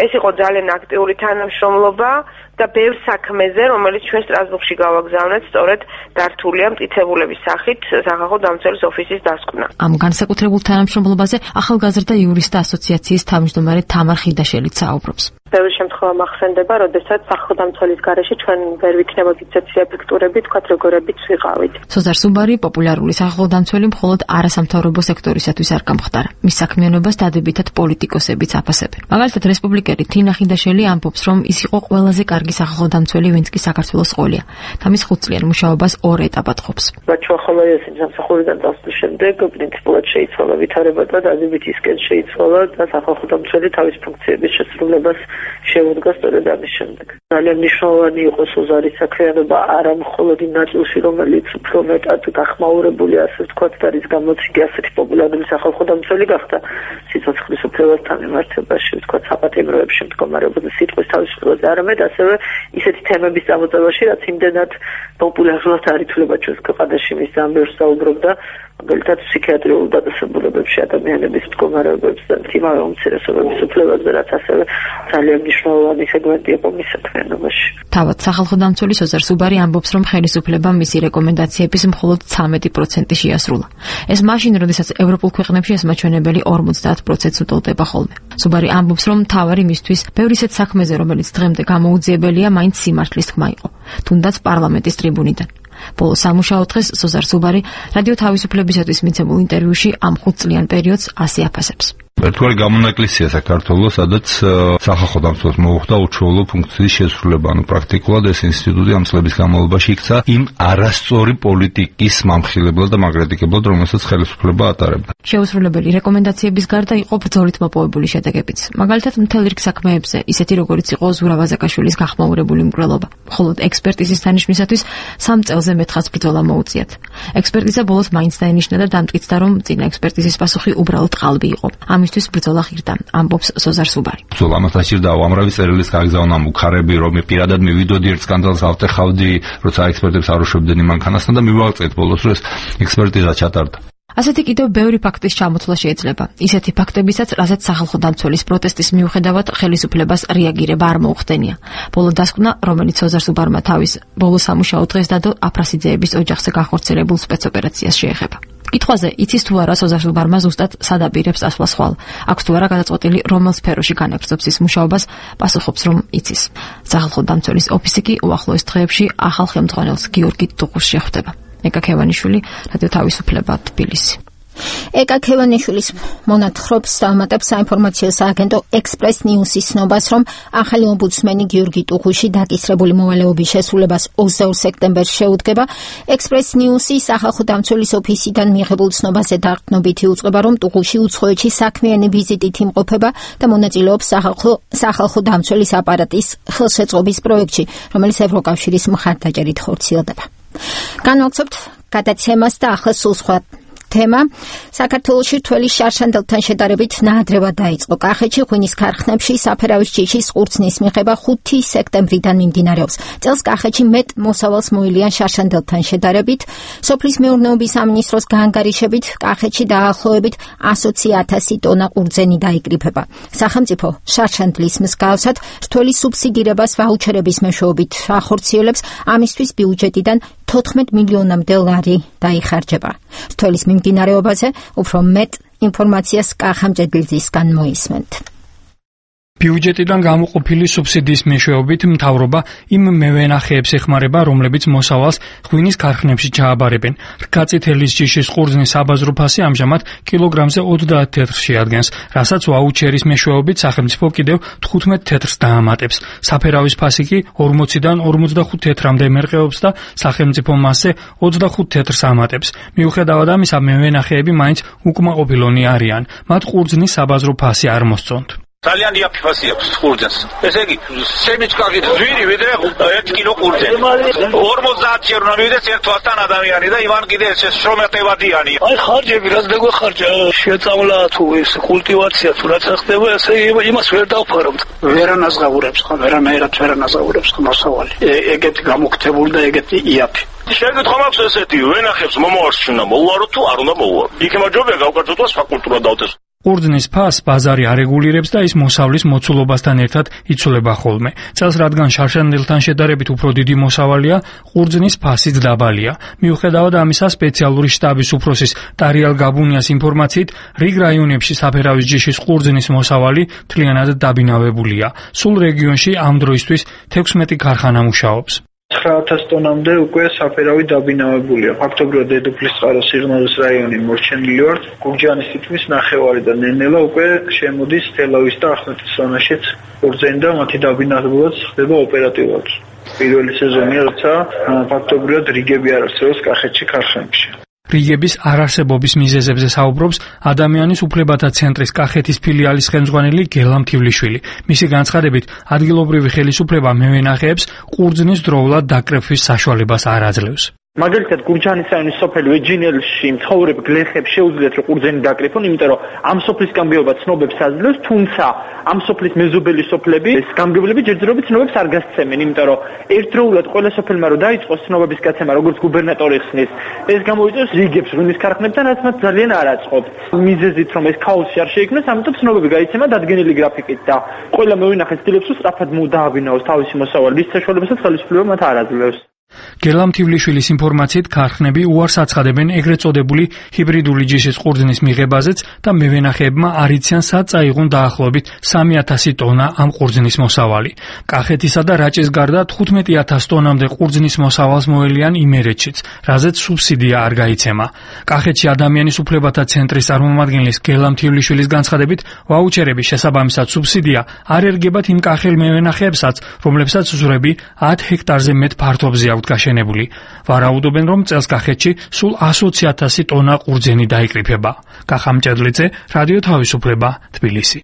ეს იყო ძალიან აქტიური თანამშრომლობა და ბევრ საქმეზე, რომელიც ჩვენ სტრასბურგში გავაგზავნეთ, სწორედ დართულია მტკიცებულების სახით სახალხო დამცველის ოფისის დასკვნა. ამ განსაკუთრებულ თანამშრომლობაზე ახალგაზრდა იურისტთა ასოციაციის თავმჯდომარე თამარ ხიდაშელიც საუბრობს. ბევრი შემთხვევა მახსენდება, როდესაც სახალხო დამცველის გარეშე ჩვენ ვერ ვიქნებოდით ისეთი ეფექტურები, თქვათ როგორებიც ვიყავით. სოზარ სუბარი პოპულარული სახალხო დამცველი მხოლოდ არასამთავრობო სექტორისათვის არ გამხდარა. მის საქმიანობას დადებითად პოლიტიკოსებიც აფასებენ. მაგალითად, რესპუბლიკელი თინა ხიდაშელი ამბობს, რომ ის იყო ყველაზე კარგი სახალხო დამცველი, ვინც კი საქართველოს ყოლია. და მის 5 წლიან მუშაობას 2 ეტაპად ყოფს. რაც ახალგაზრდა სამსახურიდან დასვლის შემდეგ პრინციპულად შეიცვალა ვითარება და დადებითი ისკენ შეიცვალა და სახალხო დამცველი თავის ფუნქციების შესრულებას შეუდგა სწორედ ამის შემდეგ. ძალიან მნიშვნელოვანი იყო სოზარის საქმიანობა არა მხოლოდ იმ ნაწილში, რომელიც უფრო მეტად გახმაურებული, ასე ვთქვათ, და რის გამოც იგი ასეთი პოპულარული სახალხო დამცველი გახდა სიცოცხლის უფლებასთან მიმართებაში, ვთქვათ, საპატიმროებში მდგომარეობაზე სიტყვის თავისუფლებაზე, არამედ ასევე ისეთი თემების წამოწევაში, რაც იმდენად პოპულარულად არ ითვლება ჩვენს ქვეყანაში, მის ძალიან ბევრს საუბრობდა, მაგალითად ფსიქიატრიულ დაწესებულებებში ადამიანების მდგომარეობებს და იმავე უმცირესობების უფლებებზე, რაც ასევე ძალიან მნიშვნელოვანი სეგმენტი იყო მის საქმიანობაში. თავად სახალხო დამცველი სოზარ სუბარი ამბობს, რომ ხელისუფლებამ მისი რეკომენდაციების მხოლოდ 13% შეასრულა. ეს მაშინ, როდესაც ევროპულ ქვეყნებში ეს მაჩვენებელი 50%-ს უტოლდება ხოლმე. სუბარი ამბობს, რომ თავარი მისთვის ბევრი ისეთ საქმეზე, რომელიც დღემდე გამოუძიებელია, მაინც სიმართლის თქმა იყო, თუნდაც პარლამენტის ტრიბუნიდან. ბოლო სამუშაო დღეს სოზარ სუბარი რადიო თავისუფლებისათვის მიცემულ ინტერვიუში ამ 5 წლიან პერიოდს ასე აფასებს. ერთგვარი გამონაკლისია საქართველოს, სადაც სახალხო დამცველს მოუხდა უჩვეულო ფუნქციის შესრულება, ანუ პრაქტიკულად ეს ინსტიტუტი ამ წლების განმავლობაში იქცა იმ არასწორი პოლიტიკის მამხილებლად და მაგრატიკებლად, რომელსაც ხელისუფლება ატარებდა. შეუსრულებელი რეკომენდაციების გარდა იყო ბრძოლით მოპოვებული შედეგებიც. მაგალითად, მთელ რიგ საქმეებზე, ისეთი როგორიც იყო ზურაბ აზაკაშვილის გახმაურებული მკვლელობა. მხოლოდ ექსპერტიზის დანიშვნისათვის 3 წელზე მეტხას ბრძოლა მოუწიათ. ექსპერტიზა ბოლოს მაინც დაენიშნა და დამტკიცდა, რომ წინა ექსპერტიზის პასუხი უბრალოდ ყალბი იყო. ამისთვის ბრძოლა ღირდა, ამბობს სოზარ სუბარი. ბრძოლა ამას დაჭირდა უამრავი წერილის გაგზავნა, მუხარები, რომ პირადად მივიდოდი ერთ სკანდალს ავტეხავდი, როცა ექსპერტებს არ უშვებდნენ მანქანასთან და მივაღწევთ ბოლოს, რომ ეს ექსპერტიზა ჩატარდა. ასეთი კიდევ ბევრი ფაქტის ჩამოთვლა შეიძლება. ისეთი ფაქტებისაც, რასაც სახალხო დამცველის პროტესტის მიუხედავად ხელისუფლებას რეაგირება არ მოუხდენია. ბოლო დასკვნა, რომელიც სოზარ სუბარმა თავის ბოლო სამუშაო დღეს დადო აფრასიძეების ოჯახზე განხორციელებულ სპეცოპერაციას შეეხება. კითხვაზე, იცის თუ არა სოზარ სუბარმა ზუსტად სად აპირებს ასვლა ხვალ? აქვს თუ არა გადაწყვეტილი რომელ სფეროში განაგრძობს ის მუშაობას? პასუხობს, რომ იცის. სახალხო დამცველის ოფისი კი უახლოეს დღეებში ახალ ხელმძღვანელს გიორგი ტუღურს შეხვდება. ეკა ქევანიშვილი, რადიო თავისუფლება, თბილისი. ეკა ქევანიშვილის მონათხრობს დამატებს საინფორმაციო სააგენტო ექსპრეს ნიუსის ცნობას, რომ ახალი ომბუდსმენი გიორგი ტუღუში დაკისრებული მოვალეობის შესრულებას 22 სექტემბერს შეუდგება. ექსპრეს ნიუსი სახალხო დამცველის ოფისიდან მიიღებულ ცნობაზე დაყრდნობითი უწყება, რომ ტუღუში უცხოეთში საქმიანი ვიზიტით იმყოფება და მონაწილეობს სახალხო დამცველის აპარატის ხელშეწყობის პროექტში, რომელიც ევროკავშირის მხარდაჭერით ხორციელდება. განვაგრძობთ გადაცემას და ახლა სულ სხვა თემა. საქართველოში რთველი შარშანდელთან შედარებით ნაადრევად დაიწყო. კახეთში ღვინის ქარხნებში საფერავის ჯიშის ყურძნის მიღება 5 სექტემბრიდან მიმდინარეობს. წელს კახეთში მეტ მოსავალს მოილიან შარშანდელთან შედარებით. სოფლის მეურნეობის სამინისტროს გაანგარიშებით კახეთში დაახლოებით 120,000 ტონა ყურძენი დაიკრიფება. სახელმწიფო შარშანდლის მსგავსად რთველი სუბსიდირებას ვაუჩერების მეშვეობით ახორციელებს. ამისთვის ბიუჯეტიდან 14 მილიონამდე ლარი დაიხარჯება. რთველის მიმდინარეობაზე უფრო მეტ ინფორმაციას კახამჯედლისგან მოისმენთ. ბიუჯეტიდან გამოყოფილი სუბსიდიის მეშვეობით მთავრობა იმ მევენახეებს ეხმარება, რომლებიც მოსავალს ღვინის ქარხნებში ჩააბარებენ. რკაწითელის ჯიშის ყურძნის საბაზრო ფასი ამჟამად კილოგრამზე 30 თეთრში ადგენს, რასაც ვაუჩერის მეშვეობით სახელმწიფო კიდევ 15 თეთრს დაამატებს. საფერავის ფასი კი 40-დან 45 თეთრამდე მერყეობს და სახელმწიფო მასზე 25 თეთრს ამატებს. მიუხედავად ამისა, მევენახეები მაინც უკმაყოფილონი არიან. მათ ყურძნის საბაზრო ფასი არ მოსწონთ. ძალიან იაფი ფასი აქვს ყურძენს. ესე იგი, სემიჩკა კიდე ძვირი ვიდრე 1 კილო ყურძენი. 50 ჯერ უნდა მივიდეს ერთ თვასთან ადამიანი და ივან კიდე ეს შრომატევადიანი. აი ხარჯები რაც დაგვეხარჯა, შეწავლა თუ ეს კულტივაცია თუ რაც ხდება, ესე იმას ვერ დავფარავთ. ვერანაზღაურებს ხომ, ვერანაირად ვერანაზღაურებს ხომ მოსავალი. ეგეთი გამოგთებული და ეგეთი იაფი. შეგეთხო მაქვს ესეთი, ვენახებს მომავალში უნდა მოუარო თუ არ უნდა მოუარო. იქება ჯობია გავკარჯოთ ფაკულტურა დავდეს. ყურძნის ფასს ბაზარი არეგულირებს და ის მოსავლის მოცულობასთან ერთად იცვლება ხოლმე. წელს რადგან შარშანდელთან შედარებით უფრო დიდი მოსავალია, ყურძნის ფასიც დაბალია. მიუხედავად ამისა, სპეციალური შტაბის უფროსის ტარიალ გაბუნიას ინფორმაციით, რიგ რაიონებში საფერავის ჯიშის ყურძნის მოსავალი მთლიანად დაბინავებულია. სულ რეგიონში ამ დროისთვის 16 ქარხანა მუშაობს. 9000 ტონამდე უკვე საფერავი დაბინავებულია. ფაქტობრივად დედოფლისწყაროს სიღნაღის რაიონი მორჩენილი ვართ. გურჯაანის თითქმის ნახევარი და ნენელა უკვე შემოდის თელავის და ახმეტის ზონაშიც ყურძენი და მათი დაბინავებაც ხდება ოპერატიულად. პირველი სეზონია, როცა ფაქტობრივად რიგები არ არსებობს კახეთში ქარხნებში. რიგების არარსებობის მიზეზებზე საუბრობს ადამიანის უფლებათა ცენტრის კახეთის ფილიალის ხელმძღვანელი გელა მთივლიშვილი. მისი განცხადებით, ადგილობრივი ხელისუფლება მევენახეებს ყურძნის დროულად დაკრეფვის საშუალებას არ აძლევს. მაგალითად, გურჯაანის რაიონის სოფელ ვეჯინელში მცხოვრებ გლეხებს შეუძლიათ რომ ყურძენი დაკრიფონ, იმიტომ რომ ამ სოფლის გამგეობა ცნობებს აძლევს, თუმცა ამ სოფლის მეზობელი სოფლები, ეს გამგებლები ჯერჯერობით ცნობებს არ გასცემენ, იმიტომ რომ ერთდროულად ყველა სოფელმა რომ დაიწყოს ცნობების გაცემა, როგორც გუბერნატორი ხსნის, ეს გამოიწვევს რიგებს ღვინის ქარხნებთან, რაც მათ ძალიან არ აწყობს. მიზეზით რომ ეს ქაოსი არ შეიქმნას, ამიტომ ცნობები გაიცემა დადგენილი გრაფიკით და ყველა მევენახე ცდილობს რომ სწრაფად დააბინაოს თავისი მოსავალი, რის საშუალებასაც ხელისუფლება მათ არ აძლევს. გელა მთივლიშვილის ინფორმაციით, ქარხნები უარს აცხადებენ ეგრეთ წოდებული ჰიბრიდული ჯიშის ყურძნის მიღებაზეც და მევენახეებმა არ იციან სად წაიღონ დაახლოებით 3000 ტონა ამ ყურძნის მოსავალი. კახეთისა და რაჭის გარდა 15000 ტონამდე ყურძნის მოსავალს მოელიან იმერეთშიც, რაზეც სუბსიდია არ გაიცემა. კახეთში ადამიანის უფლებათა ცენტრის წარმომადგენლის გელა მთივლიშვილის განცხადებით, ვაუჩერების შესაბამისად სუბსიდია არ ერგებათ იმ კახელ მევენახეებსაც, რომლებსაც ზურები 10 ჰექტარზე მეტ ფართობზე აქვთ გაშენებული. ვარაუდობენ, რომ წელს კახეთში სულ 120,000 ტონა ყურძენი დაიკრიფება. კახამჭედლიძე, რადიო თავისუფლება, თბილისი.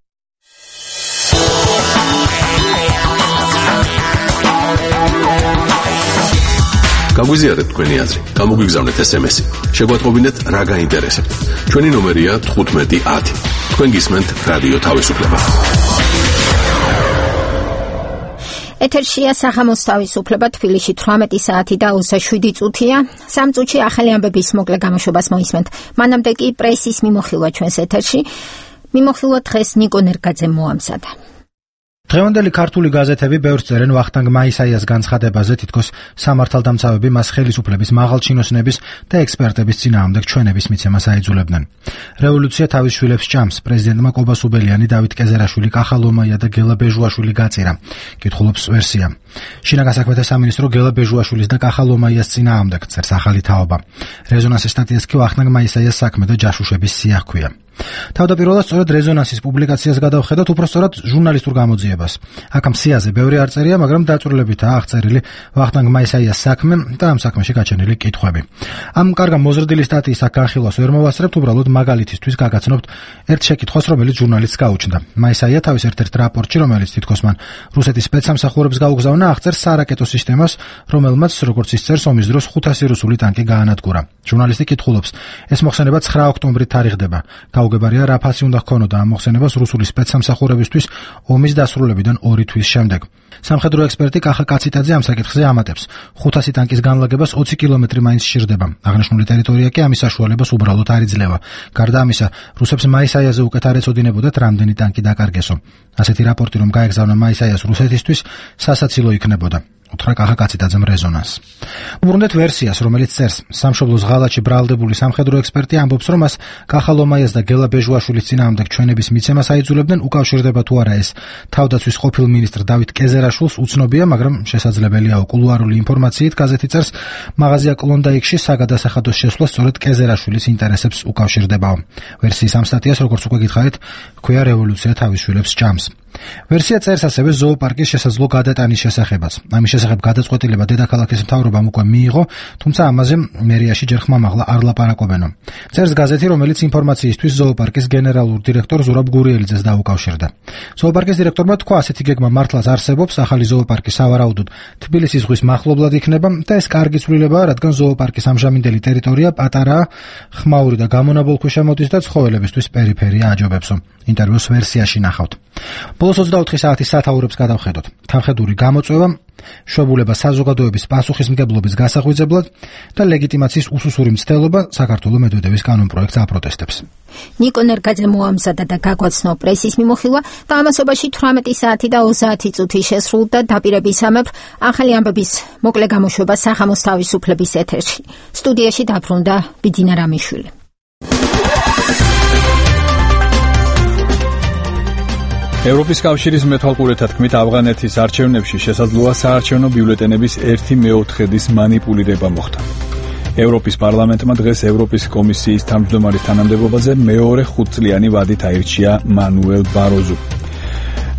გაგვიზიარეთ თქვენი აზრი, გამოგვიგზავნეთ SMS-ი. შეგვატყობინეთ რა გაინტერესებთ. ჩვენი ნომერია 1510. თქვენ გისმენთ რადიო თავისუფლება. ეთერშია სახამოს თავისუფლება, თბილისში 18 საათი და 27 წუთია. 3 წუთში ახალი ამბების მოკლე გამოშვებას მოისმენთ. მანამდე კი პრესის მიმოხილვა ჩვენს ეთერში. მიმოხილვა დღეს ნიკო ნერგაძემ მოამზადა. დღევანდელი ქართული გაზეთები ბევრს წერენ ვახტანგ მაისაიას განცხადებაზე, თითქოს სამართალდამცავები მას ხელისუფლების მაღალჩინოსნების და ექსპერტების წინააღმდეგ ჩვენების მიცემას აიძულებდნენ. რევოლუცია თავის შვილებს ჭამს. პრეზიდენტმა კობა სუბელიანი, დავით კეზერაშვილი, კახა ლომაია და გელა ბეჟუაშვილი გაწირა. კითხულობს ვერსია. შინაგან საქმეთა სამინისტრო გელა ბეჟუაშვილის და კახა ლომაიას წინააღმდეგ წერს ახალი თაობა. რეზონანსის სტატიას კი ვახტანგ მაისაიას საქმე და ჯაშუშების სია ჰქვია. თავდაპირველად სწორედ რეზონანსის პუბლიკაციას გადავხედოთ, უბრალოდ ჟურნალისტურ გამოძიებას. აქ ამ სიაზე ბევრი არ წერია, მაგრამ დაწვრილებითაა აღწერილი ვახტანგ მაისაიას საქმე და ამ საქმეში გაჩენილი კითხვები. ამ კარგა მოზრდილი სტატიის აქ განხილვას ვერ მოვასწრებთ, უბრალოდ მაგალითისთვის გაგაცნობთ ერთ შეკითხვას, რომელიც ჟურნალისტს გაუჩნდა. მაისაია თავის ერთ-ერთ რაპორტში, რომელიც თითქოს მან რუსეთის სპეცსამსახურებს გაუგზავნა, აღწერს სარაკეტო სისტემას, რომელმაც, როგორც ისწერს, ომის დროს 500 რუსული ტანკი გაანადგურა. ჟურნალისტი კითხულობს, ეს მოხსენება 9 ოქტომბრით თარიღდება. გაუგებარია, რა ფასი უნდა ჰქონოდა ამ მოხსენებას რუსული სპეცსამსახურებისთვის ომის დასრულებიდან 2 თვის შემდეგ. სამხედრო ექსპერტი კახა კაციტაძე ამ საკითხზე ამატებს. 500 ტანკის განლაგებას 20 კილომეტრი მაინც სჭირდება. აღნიშნული ტერიტორია კი ამის საშუალებას უბრალოდ არ იძლევა. გარდა ამისა, რუსებს მაისაიაზე უკეთ არ ეწოდინებოდათ რამდენი ტანკი დაკარგესო. ასეთი რაპორტი რომ გაეგზავნა მაისაიას რუსეთისთვის, სასაცილო იქნებოდა. უთხრა კახა კაციტაძემ რეზონანსს. უბრუნდეთ ვერსიას, რომელიც წერს, სამშობლოს ღალატში ბრალდებული სამხედრო ექსპერტი ამბობს, რომ მას კახა ლომაიას და გელა ბეჟუაშვილის წინააღმდეგ ჩვენების მიცემას აიძულებდნენ, უკავშირდება თუ არა ეს თავდაცვის ყოფილ მინისტრ დავით კეზერაშვილს უცნობია, მაგრამ შესაძლებელია კულუარული ინფორმაციით გაზეთი წერს, მაღაზია კლონდაიკში საგადასახადოს შესვლა სწორედ კეზერაშვილის ინტერესებს უკავშირდებაო. ვერსიის ამ სტატიას, როგორც უკვე გითხარით, ჰქვია რევოლუცია თავის შვილებს ჭამს. ვერსია წერს ასევე ზოოპარკის შესაძლო გადატანის შესახებაც. ამის შესახებ გადაწყვეტილება დედაქალაქის მთავრობამ უკვე მიიღო, თუმცა ამაზე მერიაში ჯერ ხმამაღლა არ ლაპარაკობენო. წერს გაზეთი, რომელიც ინფორმაციისთვის ზოოპარკის გენერალურ დირექტორ ზურაბ გურიელიძეს დაუკავშირდა. ზოოპარკის დირექტორმა თქვა, ასეთი გეგმა მართლაც არსებობს, ახალი ზოოპარკი სავარაუდოდ თბილისის ზღვის მახლობლად იქნება და ეს კარგი ცვლილებაა, რადგან ზოოპარკის ამჟამინდელი ტერიტორია პატარაა, ხმაური და გამონაბოლქვეშა მოდის და ცხოველებისთვის პერიფერია აჯობებსო. ინტერვიუს ვერსიაში ნახავთ. ბოლოს 24 საათის სათაურებს გადავხედოთ. თანხედური გამოწვევა, შვებულება საზოგადოების პასუხისმგებლობის გასაღვიძებლად და ლეგიტიმაციის უსუსური მცდელობა საქართველოს მედვედევის კანონპროექტს აპროტესტებს. ნიკო ნერგაძე მოამზადა და გაგვაცნო პრესის მიმოხილვა და ამასობაში 18 საათი და 30 წუთი შესრულდა დაპირებისამებრ ახალი ამბების მოკლე გამოშვება სახამოს თავისუფლების ეთერში. სტუდიაში დაბრუნდა ბიძინა რამიშვილი. ევროპის კავშირის მეთვალყურეთა თქმით, ავღანეთის არჩევნებში შესაძლოა საარჩევნო ბიულეტენების 1/4-ის მანიპულირება მოხდა. ევროპის პარლამენტმა დღეს ევროპის კომისიის თავმჯდომარის თანამდებობაზე მეორე 5-წლიანი ვადით აირჩია მანუელ ბაროზუ.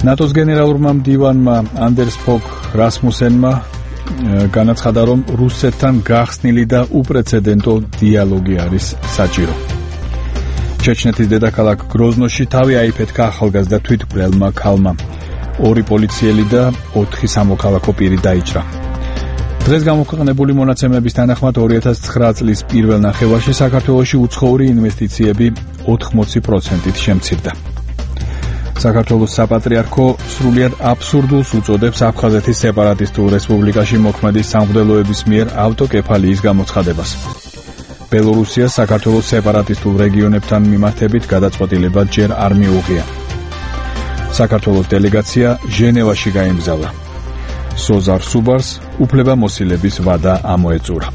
ნატოს გენერალურმა მდივანმა ანდერს ფოგ რასმუსენმა განაცხადა, რომ რუსეთთან გახსნილი და უპრეცედენტო დიალოგი არის საჭირო. ჩეჩნეთის დედაქალაქ გროზნოში თავი აიფეთქა ახალგაზრდა თვითმკვლელმა ქალმა. 2 პოლიციელი და 4 სამოქალაქო პირი დაიჭრა. დღეს გამოქვეყნებული მონაცემების თანახმად 2009 წლის პირველ ნახევარში საქართველოში უცხოური ინვესტიციები 80%-ით შემცირდა. საქართველოს საპატრიარქო სრულიად აბსურდულს უწოდებს აფხაზეთის სეპარატისტულ რესპუბლიკაში მოქმედი სამღვდელოების მიერ ავტოკეფალიის გამოცხადებას. ბელორუსიას საქართველოს სეპარატისტულ რეგიონებთან მიმართებით გადაწყვეტილება ჯერ არ მიუღია. საქართველოს დელეგაცია ჟენევაში გაემგზავრა. სოზარ სუბარს უფლებამოსილების ვადა ამოეწურა.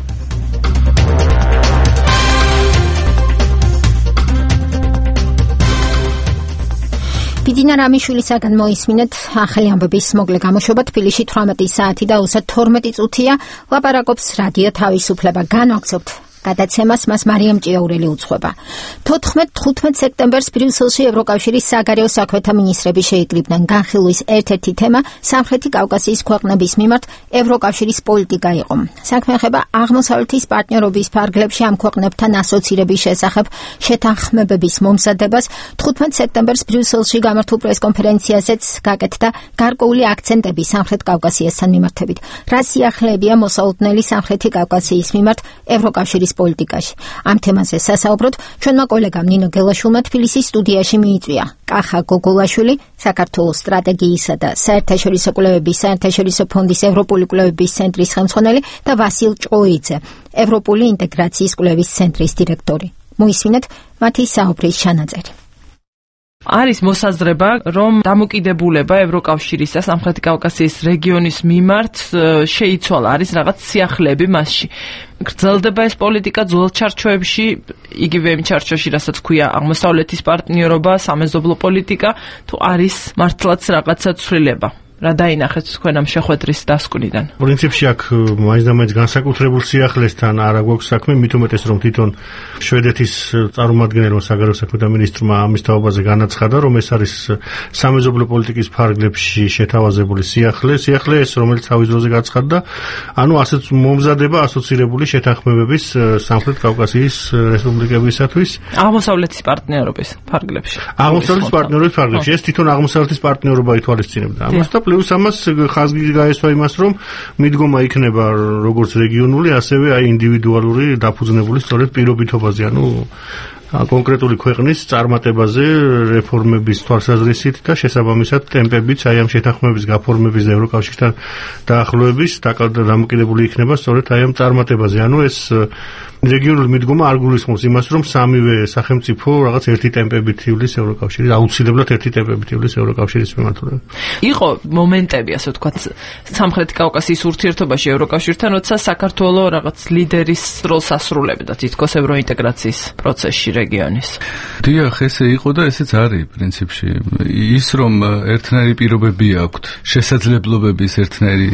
ბიძინა რამიშვილისაგან მოისმინეთ ახალი ამბების მოკლე გამოშვება. თბილისში 18 საათი და 32 წუთია. ლაპარაკობს რადიო თავისუფლება. განვაგრძობთ გადაცემას, მას მარიამ ჭიაურელი უძღვება. 14-15 სექტემბერს ბრიუსელში ევროკავშირის საგარეო საქმეთა მინისტრები შეიკრიბნენ. განხილვის ერთ-ერთი თემა სამხრეთი კავკასიის ქვეყნების მიმართ ევროკავშირის პოლიტიკა იყო. საქმე ეხება აღმოსავლეთის პარტნიორობის ფარგლებში ამ ქვეყნებთან ასოცირების შესახებ შეთანხმებების მომზადებას. 15 სექტემბერს ბრიუსელში გამართულ პრესკონფერენციაზეც გაკეთდა გარკვეული აქცენტები სამხრეთ კავკასიასთან მიმართებით. რა სიახლეებია მოსალოდნელი სამხრეთი კავკასიის მიმართ ევროკავშირის პოლიტიკაში. ამ თემაზე სასაუბროდ ჩვენმა კოლეგამ ნინო გელაშვილმა თბილისის სტუდიაში მიიწვია კახა გოგოლაშვილი, საქართველოს სტრატეგიისა და საერთაშორისო კვლევების საერთაშორისო ფონდის ევროპული კვლევების ცენტრის ხელმძღვანელი და ვასილ ჭოიძე, ევროპული ინტეგრაციის კვლევის ცენტრის დირექტორი. მოისმინეთ მათი საუბრის ჩანაწერი. არის მოსაზრება, რომ დამოკიდებულება ევროკავშირის და სამხრეთი კავკასიის რეგიონის მიმართ შეიცვალა, არის რაღაც სიახლეები მასში. გრძელდება ეს პოლიტიკა ძველ ჩარჩოებში, იგივე იმ ჩარჩოში, რასაც ქვია აღმოსავლეთის პარტნიორობა, სამეზობლო პოლიტიკა, თუ არის მართლაც რაღაცა ცვლილება. რა დაინახეთ თქვენ ამ შეხვედრის დასკვნიდან? პრინციპში აქ მაინც განსაკუთრებულ სიახლესთან არ აქვს საქმე, მით უმეტეს რომ თვითონ შვედეთის წარმომადგენელმა საგარეო საქმეთა მინისტრმა ამის თაობაზე განაცხადა, რომ ეს არის სამეზობლო პოლიტიკის ფარგლებში შეთავაზებული სიახლე ეს რომელიც თავის დროზე გაცხადდა, ანუ ასეც მომზადება ასოცირებული შეთანხმებების სამხრეთ კავკასიის რესპუბლიკებისათვის აღმოსავლეთის პარტნიორობის ფარგლებში. აღმოსავლეთის პარტნიორობის ფარგლებში ეს თვითონ აღმოსავლეთის პარტნიორობა ითვალისწინებდა ამას და პლუს ამას ხაზი გაესვა იმას, რომ მიდგომა იქნება როგორც რეგიონული, ასევე ინდივიდუალური დაფუძნებული სწორედ პირობითობაზე, ანუ კონკრეტული ქვეყნის წარმატებაზე რეფორმების თვალსაზრისით და შესაბამისად ტემპებიც აი ამ შეთანხმების გაფორმების და ევროკავშირთან დაახლოების დამოკიდებული იქნება სწორედ აი ამ წარმატებაზე. ანუ ეს რეგიონული მიდგომა არ გულისხმობს იმას, რომ სამივე სახელმწიფო რაღაც ერთი ტემპებით ივლის ევროკავშირის, აუცილებლად ერთი ტემპებით ივლის ევროკავშირის მიმართულებით. იყო მომენტები, ასე ვთქვათ, სამხრეთ კავკასიის ურთიერთობაში ევროკავშირთან, როცა საქართველოს რაღაც ლიდერის როლს ასრულებდა თითქოს ევროინტეგრაციის პროცესში რეგიონის. დიახ, ესე იყო და ესეც არის პრინციპში. ის რომ ერთნაირი პირობები აქვთ, შესაძლებლობების ერთნაირი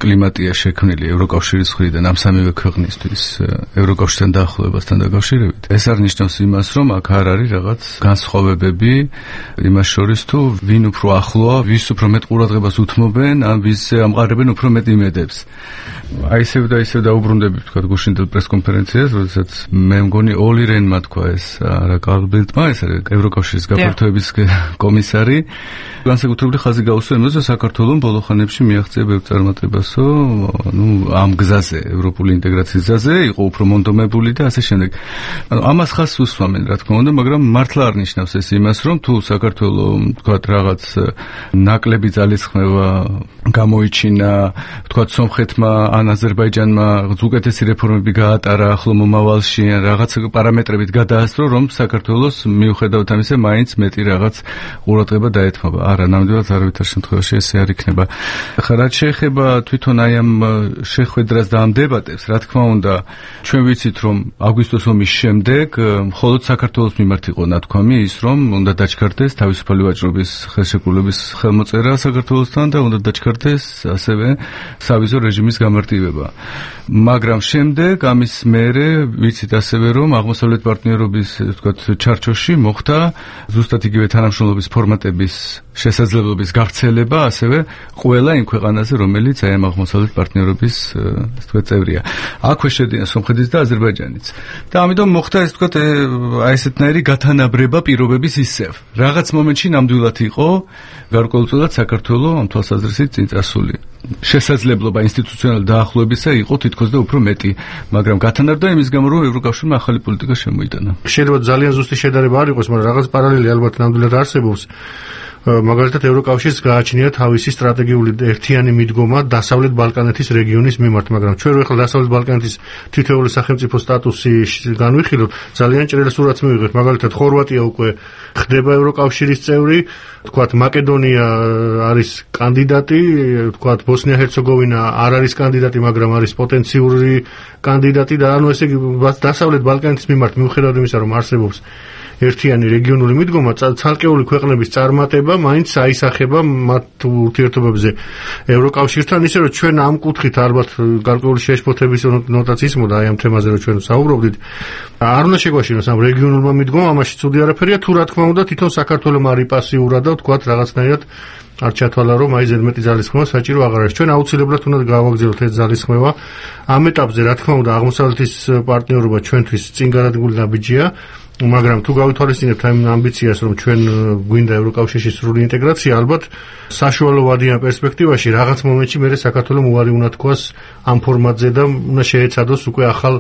კლიმატია შექმნილი ევროკავშირის მხრიდან ამ სამივე ქვეყნისთვის ევროკავშირთან დაახლოებასთან დაკავშირებით. ეს არ ნიშნავს იმას, რომ აქ არ არის რაღაც განსხვავებები იმას შორის, თუ ვინ უფრო ახლოა, ვის უფრო მეტ ყურადღებას უთმობენ, ან ვის ამყარებენ უფრო მეტ იმედებს. აი ისევ დაუბრუნდები თქვა გუშინდელ პრესკონფერენციას, როდესაც მე მგონი ოლი რენმა თქვა ეს არა კარლ ბილდმა, ეს არის ევროკავშირის გაფართოების კომისარი, განსაკუთრებული ხაზი გაუსვა იმაზე, რომ საქართველოს ბოლო ხანებში მიაღწია ბევრ წარმატებასო, ამ გზაზე, ევროპული ინტეგრაციის გზაზე, იყო უფრო მონდომებული და ასე შემდეგ. ანუ ამას ხაზს უსვამენ, რა თქმა უნდა, მაგრამ მართლა არ ნიშნავს ეს იმას, რომ თუ საქართველოს თქვა რაღაც ნაკლები ძალისხმევა გამოიჩინა, თქვა სომხეთმა ან აზერბაიჯანმა უკეთესი რეფორმები გაატარა ახლო მომავალში, რაღაც პარამეტრებით გადაასწრო, რომ საქართველოს მიუხედავად ამისა მაინც მეტი რაღაც ყურადღება დაეთმობა. არა, ნამდვილად არავითარ შემთხვევაში ესე არ იქნება. ხა რაც შეეხება თვითონ აი ამ შეხვედრას და ამ დებატებს, რა თქმა უნდა, ჩვენ ვიცით, რომ აგვისტოს ომის შემდეგ მხოლოდ საქართველოს მიმართ იყო ნათქვამი ის, რომ უნდა დაჩქარდეს თავისუფალი ვაჭრობის ხელშეკრულების ხელმოწერა საქართველოსთან და უნდა დაჩქარდეს ასევე სავიზო რეჟიმის გამარტივება. მაგრამ შემდეგ ამის მერე ვიცით ასევე, რომ აღმოსავლეთ პარტნიორობის, ვთქვათ, ჩარჩოში მოხდა ზუსტად იგივე თანამშრომლობის ფორმატების შესაძლებლობის გავრცელება, ასევე ყველა იმ ქვეყანაზე, რომელიც აი ამ აღმოსავლეთ პარტნიორობის, ასე ვთქვათ, წევრია. აქვე შედიან სომხეთის და აზერბაიჯანიც. და ამიტომ მოხდა, ასე ვთქვათ, აი ესეთნაირი გათანაბრება პირობების ისევ. რაღაც მომენტში ნამდვილად იყო გარკვეულწილად საქართველოს ამ თვალსაზრისით წინ წასული. შესაძლებლობა ინსტიტუციონალური დაახლოებისა იყო თითქოს და უფრო მეტი, მაგრამ გათანაბრდა იმის გამო, რომ ევროკავშირმა ახალი პოლიტიკა შემოიტანა. შეიძლება ძალიან ზუსტი შედარება არ იყოს, მაგრამ რაღაც პარალელი ალბათ ნამდვილად არსებობს. მაგალითად ევროკავშირს გააჩნია თავისი სტრატეგიული ერთიანი მიდგომა დასავლეთ ბალკანეთის რეგიონის მიმართ, მაგრამ ჩვენ რო ახლა დასავლეთ ბალკანეთის თითოეული სახელმწიფო სტატუსი განვიხილოთ, ძალიან ჭრელ სურათს მივიღებთ. მაგალითად ხორვატია უკვე ხდება ევროკავშირის წევრი, თქვათ მაკედონია არის კანდიდატი, თქვათ ბოსნია-ჰერცეგოვინა არ არის კანდიდატი, მაგრამ არის პოტენციური კანდიდატი და ანუ ესე იგი დასავლეთ ბალკანეთის მიმართ მიუხედავად იმისა, რომ არსებობს ერთიანი რეგიონული მიდგომა, ცალკეული ქვეყნების წარმატება მაინც აისახება მათ ურთიერთობებზე ევროკავშირთან, ისე რომ ჩვენ ამ კუთხით ალბათ გარკვეული შეშფოთების ნოტაც ისმოდა აი ამ თემაზე, რომ ჩვენ საუბრობდით. არ უნდა შეგვაშინოს ამ რეგიონულმა მიდგომამ, ამაში ცუდი არაფერია, თუ რა თქმა უნდა თვითონ საქართველოს მარი პასიურად და თქვათ რაღაცნაირად არ ჩათვალა, რომ აი ზედმეტი ძალისხმევა საჭირო აღარ არის. ჩვენ აუცილებლად უნდა გავაგზავნოთ ეს ძალისხმევა. ამ ეტაპზე რა თქმა უნდა აღმოსავლეთის პარტნიორობა ჩვენთვის წინ გადადგმული ნაბიჯია. მაგრამ თუ გავითვალისწინებთ ამ ამბიციას, რომ ჩვენ გვინდა ევროკავშირში სრული ინტეგრაცია, ალბათ საშუალო ვადიან პერსპექტივაში რაღაც მომენტში მერე საქართველოს უარი უნდა თქვას ამ ფორმატზე და უნდა შეეცადოს უკვე ახალ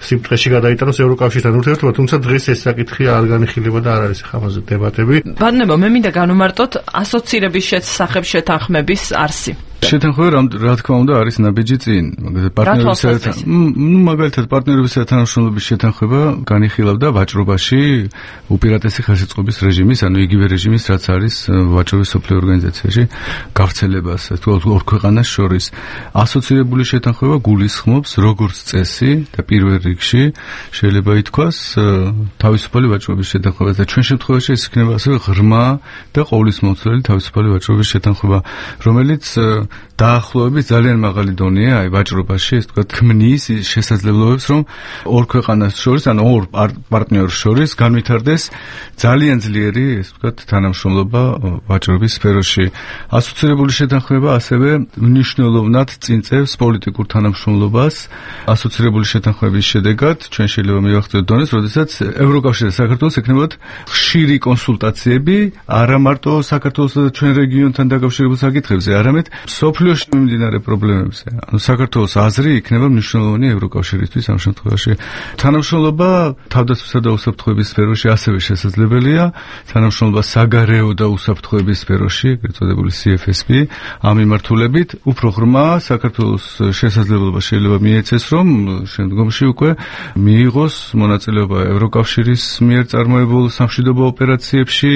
სიმტყეში გადაიტანოს ევროკავშირთან ურთიერთობა, თუმცა დღეს ეს საკითხი არ განიხილება და არ არის ხამაზე დებატები. ბატონებო, მე მინდა განვმარტოთ ასოცირების შესახებ შეთანხმების არსი. შეთანხმება რა თქმა უნდა არის ნაბიჯი წინ, მაგალითად პარტნიორებისა და თანამშრომლობის შეთანხმება განიხილავდა ვაჭრობაში უპირატესი ხელშეწყობის რეჟიმის, ანუ იგივე რეჟიმის, რაც არის ვაჭრობის სოფლიო ორგანიზაციაში გავრცელებას, თუ ორ ქვეყანას შორის. ასოცირებული შეთანხმება გულისხმობს როგორც წესი და პირველ რიგში შეიძლება ითქვას თავისუფალი ვაჭრობის შეთანხმებას და ჩვენ შემთხვევაში ეს იქნება ასევე ღრმა და ყოვლისმომცველი თავისუფალი ვაჭრობის შეთანხმება, რომელიც დაახლოების ძალიან მაღალი დონეა აი ვაჭრობაში, ეს თქვა ქმნის შესაძლებლობებს, რომ ორ ქვეყანას შორის, ანუ ორ პარტნიორს შორის განვითარდეს ძალიან ძლიერი, ეს თქვა თანამშრომლობა ვაჭრობის სფეროში. ასოცირებული შეთანხმება ასევე მნიშვნელოვნად წინწევს პოლიტიკურ თანამშრომლობას. ასოცირებული შეთანხმების შედეგად ჩვენ შეიძლება მივახცევთ დონეს, როდესაც ევროკავშირი და საქართველოს ექნებათ ხშირი კონსულტაციები, არა მარტო საქართველოსა და ჩვენ რეგიონთან დაკავშირებულ საკითხებზე, არამედ სოფლიოში მიმდინარე პრობლემებზე. ანუ საქართველოს აზრი იქნება მნიშვნელოვანი ევროკავშირისთვის ამ შემთხვევაში. თანამშრომლობა თავდაცვისა და უსაფრთხოების სფეროში ასევე შესაძლებელია, თანამშრომლობა საგარეო და უსაფრთხოების სფეროში, ეგრეთ წოდებული CFSP, ამ მიმართულებით უფრო ღრმა საქართველოს შესაძლებლობა შეიძლება მიეცეს, რომ შემდგომში უკვე მიიღოს მონაწილეობა ევროკავშირის მიერ წარმოებულ სამშვიდობო ოპერაციებში,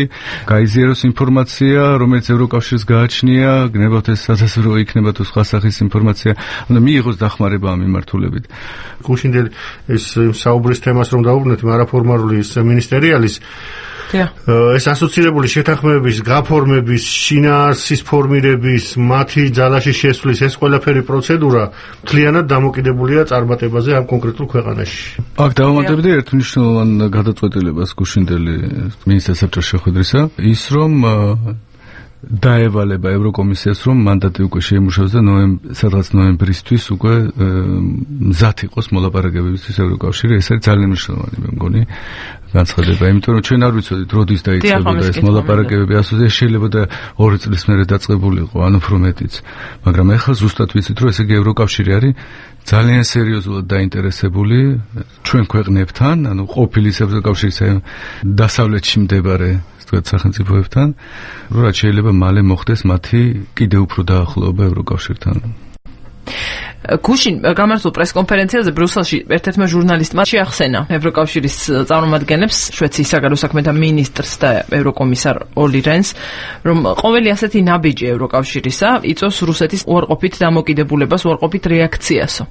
გაიზიაროს ინფორმაცია, რომელიც ევროკავშირს გააჩნია, გნებავთ ეს სასაზღვრო იქნება თუ სხვა სახის ინფორმაცია, უნდა მიიღოს დახმარება ამ მიმართულებით. გუშინდელი ეს საუბრის თემას რომ დაუბრუნდეთ, არაფორმალური მინისტერიალის ეს ასოცირებული შეთანხმებების, გაფორმების, შინაარსის ფორმირების, მათი ძალაში შესვლის ეს ყველაფერი პროცედურა მთლიანად დამოკიდებულია წარმატებაზე ამ კონკრეტულ ქვეყანაში. აქ დავამატებდი ერთ მნიშვნელოვან გადაწყვეტილებას გუშინდელი მინისტრთა საბჭოს შეხვედრისა, ის რომ დაევალება ევროკომისიას, რომ მანდატი უკვე შეიმუშავოს და სადღაც ნოემბრისთვის უკვე მზად იყოს მოლაპარაკებებისთვის ევროკავშირი. ეს არის ძალიან მნიშვნელოვანი, მე მგონი, განცხადება, იმიტომ რომ ჩვენ არ ვიცოდით, როდის დაიწყებოდა ეს მოლაპარაკებები, ასოზე შეიძლება და 2 წლის მერე დაწყებულიყო, ან უფრო მეტიც. მაგრამ ეხლა ზუსტად ვიცით, რომ ესე იგი ევროკავშირი არის ძალიან სერიოზულად დაინტერესებული ჩვენ ქვეყნებთან, ანუ ყოფილი ევროკავშირის დასავლეთში მდებარე სახელმწიფოებთან, რომ რაც შეიძლება მალე მოხდეს მათი კიდევ უფრო დაახლოება ევროკავშირთან. გუშინ გამართულ პრესკონფერენციაზე ბრიუსელში ერთ-ერთმა ჟურნალისტმა შეახსენა ევროკავშირის წარმომადგენლებს, შვეიცარიის საგარეო საქმეთა მინისტრს და ევროკომისარ ოლი რენს, რომ ყოველი ასეთი ნაბიჯი ევროკავშირისა იწვევს რუსეთის უარყოფით დამოკიდებულებას, უარყოფით რეაქციასო.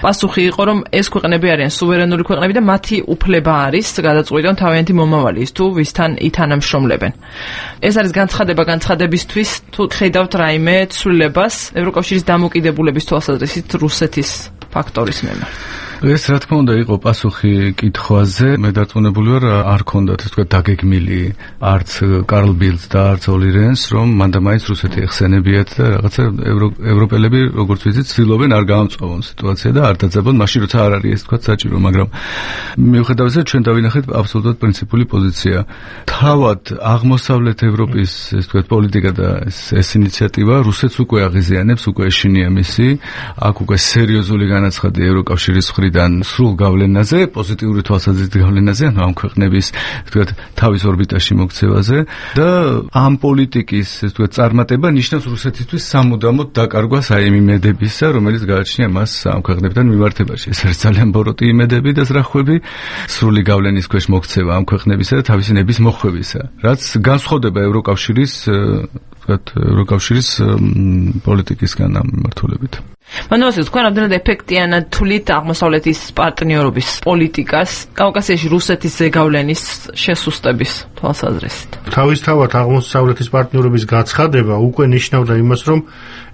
პასუხი იყო, რომ ეს ქვეყნები არიან სუვერენული ქვეყნები და მათი უფლება არის გადაწყვიტონ თავიანთი მომავალი ის თუ ვისთან ითანამშრომლებენ. ეს არის განცხადებისთვის, თუ ხედავთ რაიმე ცვლილებას ევროკავშირის დამოკიდებულების თვალსაზრისით რუსეთის ფაქტორის მიმართ. ეს რა თქმა უნდა იყო პასუხი კითხვაზე, მე დარწმუნებული ვარ არ ქონდათ ეს თქვა დაგეგმილი არც კარლ ბილდს და არც ოლი რენს, რომ მანდა მაინც რუსეთი ეხსენებიათ და რაღაცა ევროპელები როგორც ვიცით ცდილობენ არ გაამწვავონ სიტუაცია და არ დაძაბონ მაშინ როცა არ არის ეს თქვა საჭირო, მაგრამ მიუხედავად ამისა ჩვენ დავინახეთ აბსოლუტურად პრინციპული პოზიცია. თავად აღმოსავლეთ ევროპის ეს თქვა პოლიტიკა და ეს ინიციატივა რუსეთს უკვე აღიზიანებს, უკვე ეშინია მისი, აქ უკვე სერიოზული განაცხადი ევროკავშირის მხრიდან სრულ გავლენაზე, პოზიტიური თვალსაზრისით გავლენაზე, ანუ ამ ქვეყნების თქვათ თავის ორბიტაში მოქცევაზე და ამ პოლიტიკის ეს თქვათ წარმატება ნიშნავს რუსეთისთვის სამუდამოდ დაკარგვას აი იმ იმედებისა, რომელიც გააჩნია მას ამ ქვეყნებთან მიმართებაში. ეს არის ძალიან ბოროტი იმედები და ზრახვები, სრული გავლენის ქვეშ მოქცევა ამ ქვეყნებისა და თავისი ნების მოხვევისა, რაც განსხვავდება ევროკავშირის პოლიტიკისგან ამ მიმართულებით. მანდამოსი თქვენ რამდენად ეფექტიანად თვლით აღმოსავლეთის პარტნიორობის პოლიტიკას კავკასიაში რუსეთის ზეგავლენის შესუსტების თვალსაზრისით? თავისთავად აღმოსავლეთის პარტნიორობის გაცხადება უკვე ნიშნავდა იმას, რომ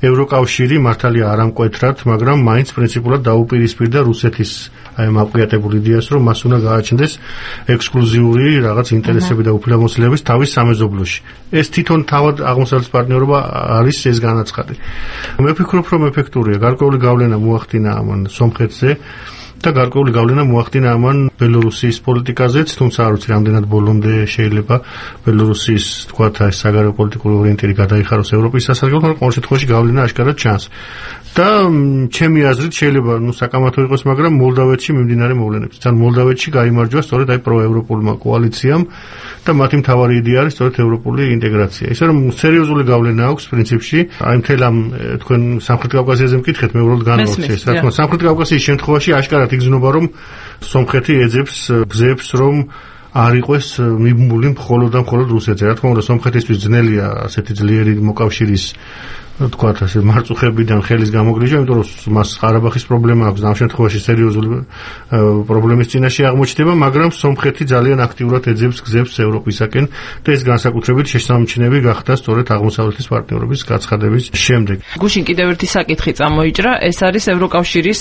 ევროკავშირი მართალია არ ამკვეთრად, მაგრამ მაინც პრინციპულად დაუპირისპირდა რუსეთის აი ამ აყრიატებულ იდეას, რომ მას უნდა გააჩნდეს ექსკლუზიური რაღაც ინტერესები და უფლებამოსილების თავის სამეზობლოში. ეს თვითონ თავად აღმოსავლეთის პარტნიორობა არის ეს განაცხადი. მე ვფიქრობ, რომ ეფექტურია. გარკვეული გავლენა მოახდინა ამან სომხეთზე და გარკვეული გავლენა მოახდინა ამან ბელორუსიის პოლიტიკაზეც, თუმცა არ ვიცი რამდენად ბოლომდე შეიძლება ბელორუსიის თქვათ ეს საგარეო პოლიტიკური ორიენტირი გადაიხაროს ევროპის სასარგებლოდ, მაგრამ ყოველ შემთხვევაში გავლენა აშკარად ჩანს. და ჩემი აზრით შეიძლება საკამათო იყოს, მაგრამ მოლდავეთში მიმდინარე მოვლენებს. თან მოლდავეთში გაიმარჯვა სწორედ აი პროევროპულმა კოალიციამ და მათი მთავარი იდეა არის სწორედ ევროპული ინტეგრაცია. ისე რომ სერიოზული გავლენა აქვს პრინციპში აი მთელ ამ თქვენ სამხრეთ კავკასიაზე მკითხეთ, მე უბრალოდ განვაცხადე. რა თქმა უნდა, სამხრეთ კავკასიის შემთხვევაში აშკარად იგრძნობა, რომ სომხეთი ეძებს გზებს, რომ არ იყოს მიბმული მხოლოდ და მხოლოდ რუსეთზე. რა თქმა უნდა, სომხეთისთვის ძნელია ასეთი ძლიერი მოკავშირის თქვათ ასე მარწუხებიდან ხელის გამოგრიჟვა, იმიტომ რომ მას ყარაბახის პრობლემა აქვს, ამ შემთხვევაში სერიოზული პრობლემის წინაშე აღმოჩნდება, მაგრამ სომხეთი ძალიან აქტიურად ეძებს გზებს ევროპისაკენ და ეს განსაკუთრებით შესამჩნევი გახდა სწორედ აღმოსავლეთის პარტნიორობის გაცხადების შემდეგ. გუშინ კიდევ ერთი საკითხი წამოიჭრა, ეს არის ევროკავშირის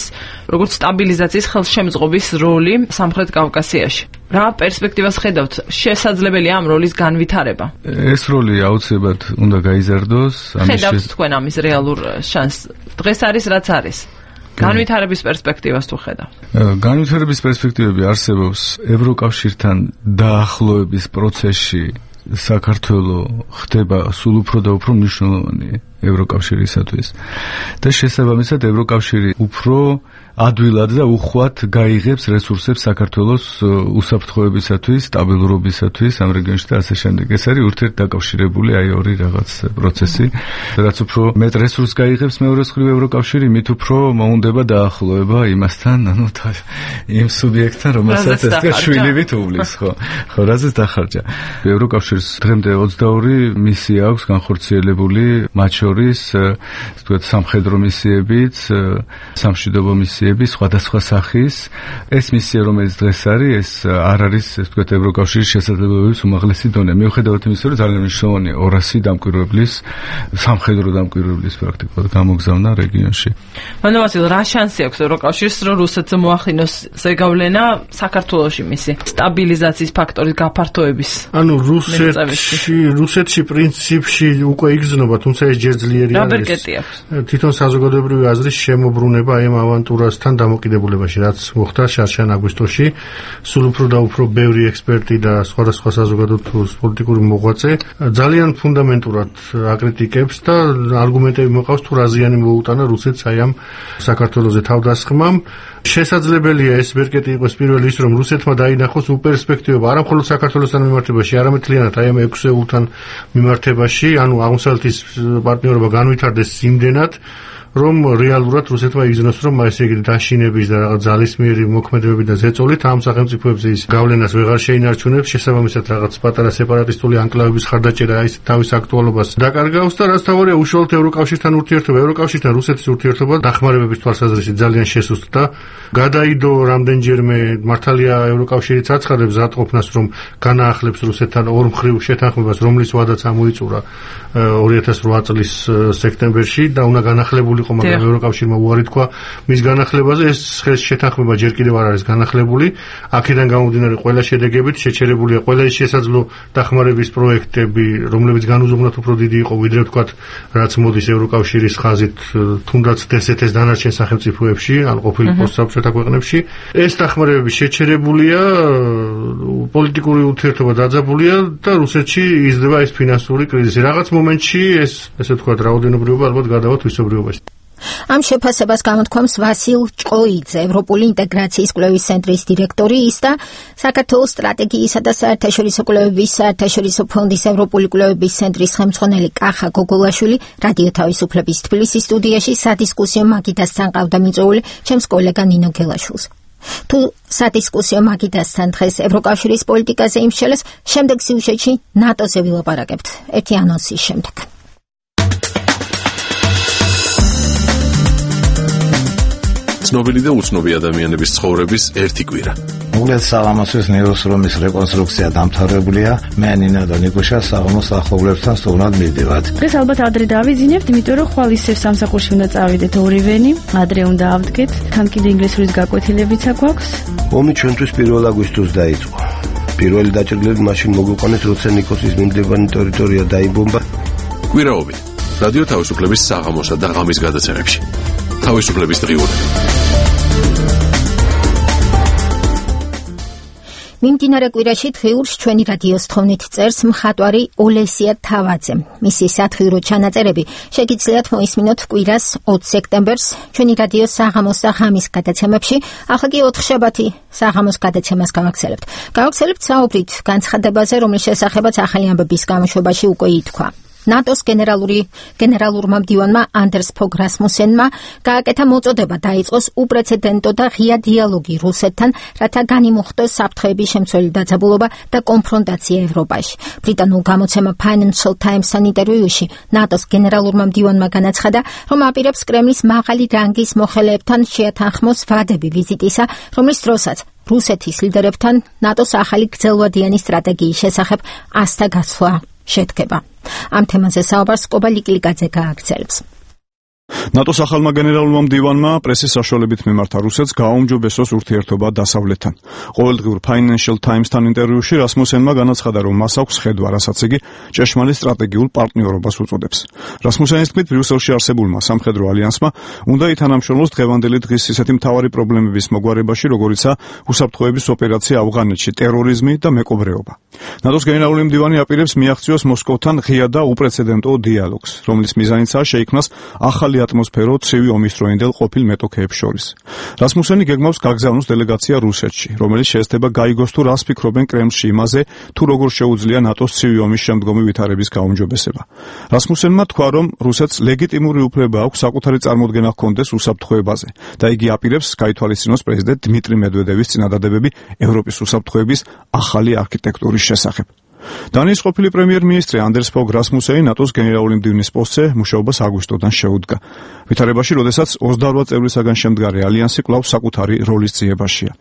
როგორც სტაბილიზაციის ხელშემწყობის როლი სამხრეთ კავკასიაში. რა პერსპექტივას ხედავთ? შესაძლებელია ამ როლის განვითარება? ეს როლი აუცილებლად უნდა გაიზარდოს. ხედავთ თქვენ ამის რეალურ შანსს? დღეს არის რაც არის. განვითარების პერსპექტივას თუ ხედავთ? განვითარების პერსპექტივები არსებობს ევროკავშირთან დაახლოების პროცესში. საქართველო ხდება სულ უფრო და უფრო მნიშვნელოვანი ევროკავშირისათვის. და შესაბამისად ევროკავშირი უფრო ადვილად და უხვად გაიღებს რესურსებს საქართველოს უსაფრთხოებისათვის, სტაბილურობისათვის ამ რეგიონში და ასე შემდეგ. ეს არის ურთიერთდაკავშირებული აი ორი რაღაც პროცესი. რაც უფრო მეტ რესურსს გაიღებს მეორე მხრივ ევროკავშირი, მით უფრო მოუნდება დაახლოება იმასთან, ანუ იმ სუბიექტთან, რომელსაც ეს შვილი თulis, ხო, რაზეც დახარჯა. ევროკავშირის დღემდე 22 მისია აქვს განხორციელებული, მათ შორის, ვთქვათ, სამხედრო მისიებიც, სამშვიდობო მისიები, სხვადასხვა სახის. ეს მისია, რომელიც დღეს არის, ეს არ არის, ვთქვათ, ევროკავშირის შესაძლებლობების უმაღლესი დონე. მიუხედავად იმისა, რომ ძალიან მნიშვნელოვანია 200 დამკვირვებლის, სამხედრო დამკვირვებლის პრაქტიკულად გამოგზავნა რეგიონში. მანავასილ, რა შანსი აქვს ევროკავშირს, რომ რუსეთზე მოახდინოს ზეგავლენა საქართველოში მისი სტაბილიზაციის ფაქტორის გაფართოების? ანუ რუსეთში პრინციპში უკვე იგრძნობა, თუმცა ეს ჯერ ძლიერი არის. თვითონ საზოგადოებრივი აზრის შემოbrunება აი ამ ავანტურასთან დამოკიდებულებაში, რაც მოხდა შარშან-აგვისტოში, სულ უფრო და უფრო ბევრი ექსპერტი და სხვადასხვა საზოგადოებრივი პოლიტიკური მოღვაწე ძალიან ფუნდამენტურად აკრიტიკებს და არგუმენტები მოყავს თუ რა ზიანი მოუტანა რუსეთს აი ამ საქართველოზე თავდასხმამ. შესაძლებელია ეს ვერკეტი იყოს პირველი ის, რომ რუსეთმა დაინახოს უპერსპექტივება არა მხოლოდ საქართველოსთან მიმართებაში, არამედ მთლიანად აი ამ 6 ეულთან მიმართებაში, ანუ აღმოსავლეთის პარტნიორობა განვითარდეს იმდენად, რომ რეალურად რუსეთმა იგრძნოს, რომ ესე იგი დაშინების და რაღაც ძალისმიერი მოქმედებები და ზეწოლით ამ სახელმწიფოებზე ის გავლენას ვეღარ შეინარჩუნებს, შესაბამისად რაღაც პატარა სეპარატისტული ანკლავების ხარდაჭერა ის თავის აქტუალობას დაკარგავს და რაც თავარია უშუალოდ ევროკავშირთან ურთიერთობა, ევროკავშირთან რუსეთის ურთიერთობა დახმარებების თვალსაზრისით ძალიან შესუსტდა. გადაიდო რამდენჯერმე მართალია ევროკავშირიც აცხადებს ზადყოფნას, რომ განაახლებს რუსეთთან ორმხრივ შეთანხმებას, რომლის ვადაც ამოიწურა 2008 წლის სექტემბერში და უნდა განახლებული მაგრამ ევროკავშირმა უარი თქვა მის განახლებაზე. ეს შეთანხმება ჯერ კიდევ არ არის განახლებული. აქედან გამომდინარე ყველა შედეგებით შეჩერებულია ყველა ის შესაძლო დახმარების პროექტები, რომლებიც განუზომნად უფრო დიდი იყო ვიდრე ვთქვათ, რაც მოდის ევროკავშირის ხაზით თუნდაც DST-ს დანარჩენ სახელმწიფოებში, ან ყოფილი პოსტსაბჭოთა ქვეყნებში. ეს დახმარებები შეჩერებულია, პოლიტიკური ურთიერთობა დაძაბულია და რუსეთში იზრდება ეს ფინანსური კრიზისი. რაღაც მომენტში ეს ესე ვთქვათ, რაოდენობრივობა ალბათ გადავა თვისობრიობაში. ამ შეფასებას გამოთქვამს ვასილ ჭყოიძე, ევროპული ინტეგრაციის კვლევის ცენტრის დირექტორი, ის და საქართველოს სტრატეგიისა და საერთაშორისო კვლევების საერთაშორისო ფონდის ევროპული კვლევების ცენტრის ხელმძღვანელი კახა გოგოლაშვილი რადიო თავისუფლების თბილისის სტუდიაში სადისკუსიო მაგიდასთან ყავდა მიწვეული ჩემს კოლეგა ნინო გელაშვილს. თუ სადისკუსიო მაგიდასთან დღეს ევროკავშირის პოლიტიკაზე იმსჯელეს, შემდეგ სიუჟეტში ნატოზე ვილაპარაკებთ. ერთი ანონსის შემდეგ. ცნობილი და უცნობი ადამიანების ცხოვრების ერთი კვირა. უგლეს საღამოსის ნეოსრომის რეკონსტრუქცია დამთავრებულია. მე ნინა და ნიკუშა საღამოს ახლობლებთან სტუმრად მივდივართ. დღეს ალბათ ადრე დავიძინებთ, იმიტომ რომ ხვალ ისევ სამსახურში უნდა წავიდეთ ორივენი. ადრე უნდა ავდგეთ. თან კიდე ინგლისურის გაკვეთილებიც აქვს. ომი ჩვენთვის 1 აგვისტოს დაიწყო. პირველი დაჭრილები მაშინ მოგვიყვანეს, როცა ნიკოსის მიმდებარე ტერიტორია დაიბომბა. კვირაობით რადიო თავისუფლების საღამოსა და ღამის გადაცემებში. თავისუფლების დღიურები. მიმდინარე კვირაში დღიურს ჩვენი რადიოს თხოვნით წერს მხატვარი ოლესია თავაძე. მისი სათხიურო ჩანაწერები შეგიძლიათ მოისმინოთ კვირას 20 სექტემბერს ჩვენი რადიოს საღამოს და ღამის გადაცემებში. ახლა კი 4 შაბათი საღამოს გადაცემას გავაგზავნებთ. გავაგზავნებთ საუბრით განცხადებაზე, რომლის შესახებაც ახალი ამბების გამოშვებაში უკვე ითქვა. ნატოს გენერალურმა მდივანმა ანდერს ფოგ რასმუსენმა გააკეთა მოწოდება დაიწყოს უპრეცედენტო და ღია დიალოგი რუსეთთან, რათა განიმუხტოს საფრთხეების შემცველი დაძაბულობა და კონფრონტაცია ევროპაში. ბრიტანულ გამოცემა Financial Times-თან ინტერვიუში ნატოს გენერალურმა მდივანმა განაცხადა, რომ აპირებს კრემლის მაღალი რანგის მოხელეებთან შეათანხმოს ვადები ვიზიტისა, რომლის დროსაც რუსეთის ლიდერებთან ნატოს ახალი გრძელვადიანი სტრატეგიის შესახებ ასთა გაცვლა შედგება. ამ თემაზე საუბარს კობა ლიკლიკაძე გააგრძელებს. ნატოს ახალმა გენერალურმა მდივანმა პრესის საშუალებით მიმართა რუსეთს გააუმჯობესოს ურთიერთობა დასავლეთთან. ყოველდღიურ Financial Times-თან ინტერვიუში რასმუსენმა განაცხადა, რომ მას აქვს ხედვა, რასაც იგი ჭეშმარიტ სტრატეგიულ პარტნიორობას უწოდებს. რასმუსენის თქმით, ბრიუსელში არსებულმა სამხედრო ალიანსმა უნდა ითანამშრომლოს დღევანდელი დღის ისეთი მთავარი პრობლემების მოგვარებაში, როგორიცაა უსაფრთხოების ოპერაცია ავღანეთში, ტერორიზმი და მეკობრეობა. ნატოს გენერალური მდივანი აპირებს მიაღწიოს მოსკოვთან ღია და უპრეცედენტო დიალოგს, რომლის მიზანიცაა შეიქმნას ახალი ატმოსფერო ცივი ომის დროინდელ ყოფილ მეტოქეებს შორის. რასმუსენი გეგმავს გაგზავნოს დელეგაცია რუსეთში, რომელიც შეესწება გაიგოს თუ რას ფიქრობენ კრემლში იმაზე, თუ როგორ შეუძლია ნატოს ცივი ომის შემდგომი ვითარების გაუმჯობესება. რასმუსენმა თქვა, რომ რუსეთს ლეგიტიმური უფლება აქვს საკუთარი წარმოდგენა ჰქონდეს უსაფრთხოებაზე და იგი აპირებს გაითვალისწინოს პრეზიდენტ დმიტრი მედვედევის წინადადებები ევროპის უსაფრთხოების ახალი არქიტექტურის შესახებ. დანიის ყოფილი პრემიერ-მინისტრი ანდერს ფოგ რასმუსენი ნატოს გენერალური მდივნის პოსტზე მუშაობას აგვისტოდან შეუდგა. ვითარებაში, როდესაც 28 წევრისაგან შემდგარი ალიანსი კვლავ საკუთარი როლის ძიებაშია.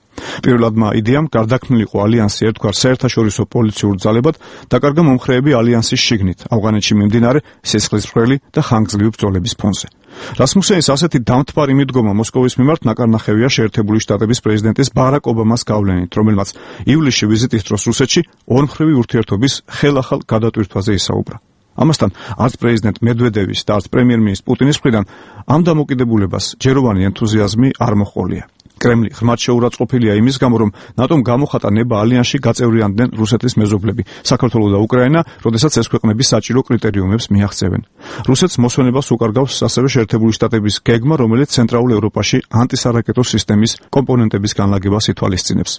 პირველადმა იდეამ გარდაქმნილიყო ალიანსი ერთგვარ საერთაშორისო პოლიციურ ძალებად დაკარგა მომხრეები ალიანსის შიგნით, ავღანეთში მიმდინარე სისხლისმღვრელი და ხანგრძლივი ბრძოლების ფონზე. რასმუსენის ასეთი დამთბარი მიდგომა მოსკოვის მიმართ ნაკარნახევია შეერთებული შტატების პრეზიდენტის ბარაკ ობამას გავლენით, რომელმაც ივლისში ვიზიტის დროს რუსეთში ორმხრივი ურთიერთობის ხელახალ გადატვირთვაზე ისაუბრა. ამასთან არც პრეზიდენტ მედვედევის და არც პრემიერ-მინისტრის პუტინის მხრიდან ამ დამოკიდებულებას ჯეროვანი ენთუზიაზმი არ მოჰყოლია. კრემლი ღრმად შეურაცხყოფილია იმის გამო, რომ ნატომ გამოხატა ნება ალიანსში გაწევრიანდნენ რუსეთის მეზობლები, საქართველო და უკრაინა, როდესაც ეს ქვეყნები საჭირო კრიტერიუმებს მიაღწევენ. რუსეთს მოსვენებას უკარგავს ასევე შეერთებული შტატების გეგმა, რომელიც ცენტრალურ ევროპაში ანტისარაკეტო სისტემის კომპონენტების განლაგებას ითვალისწინებს.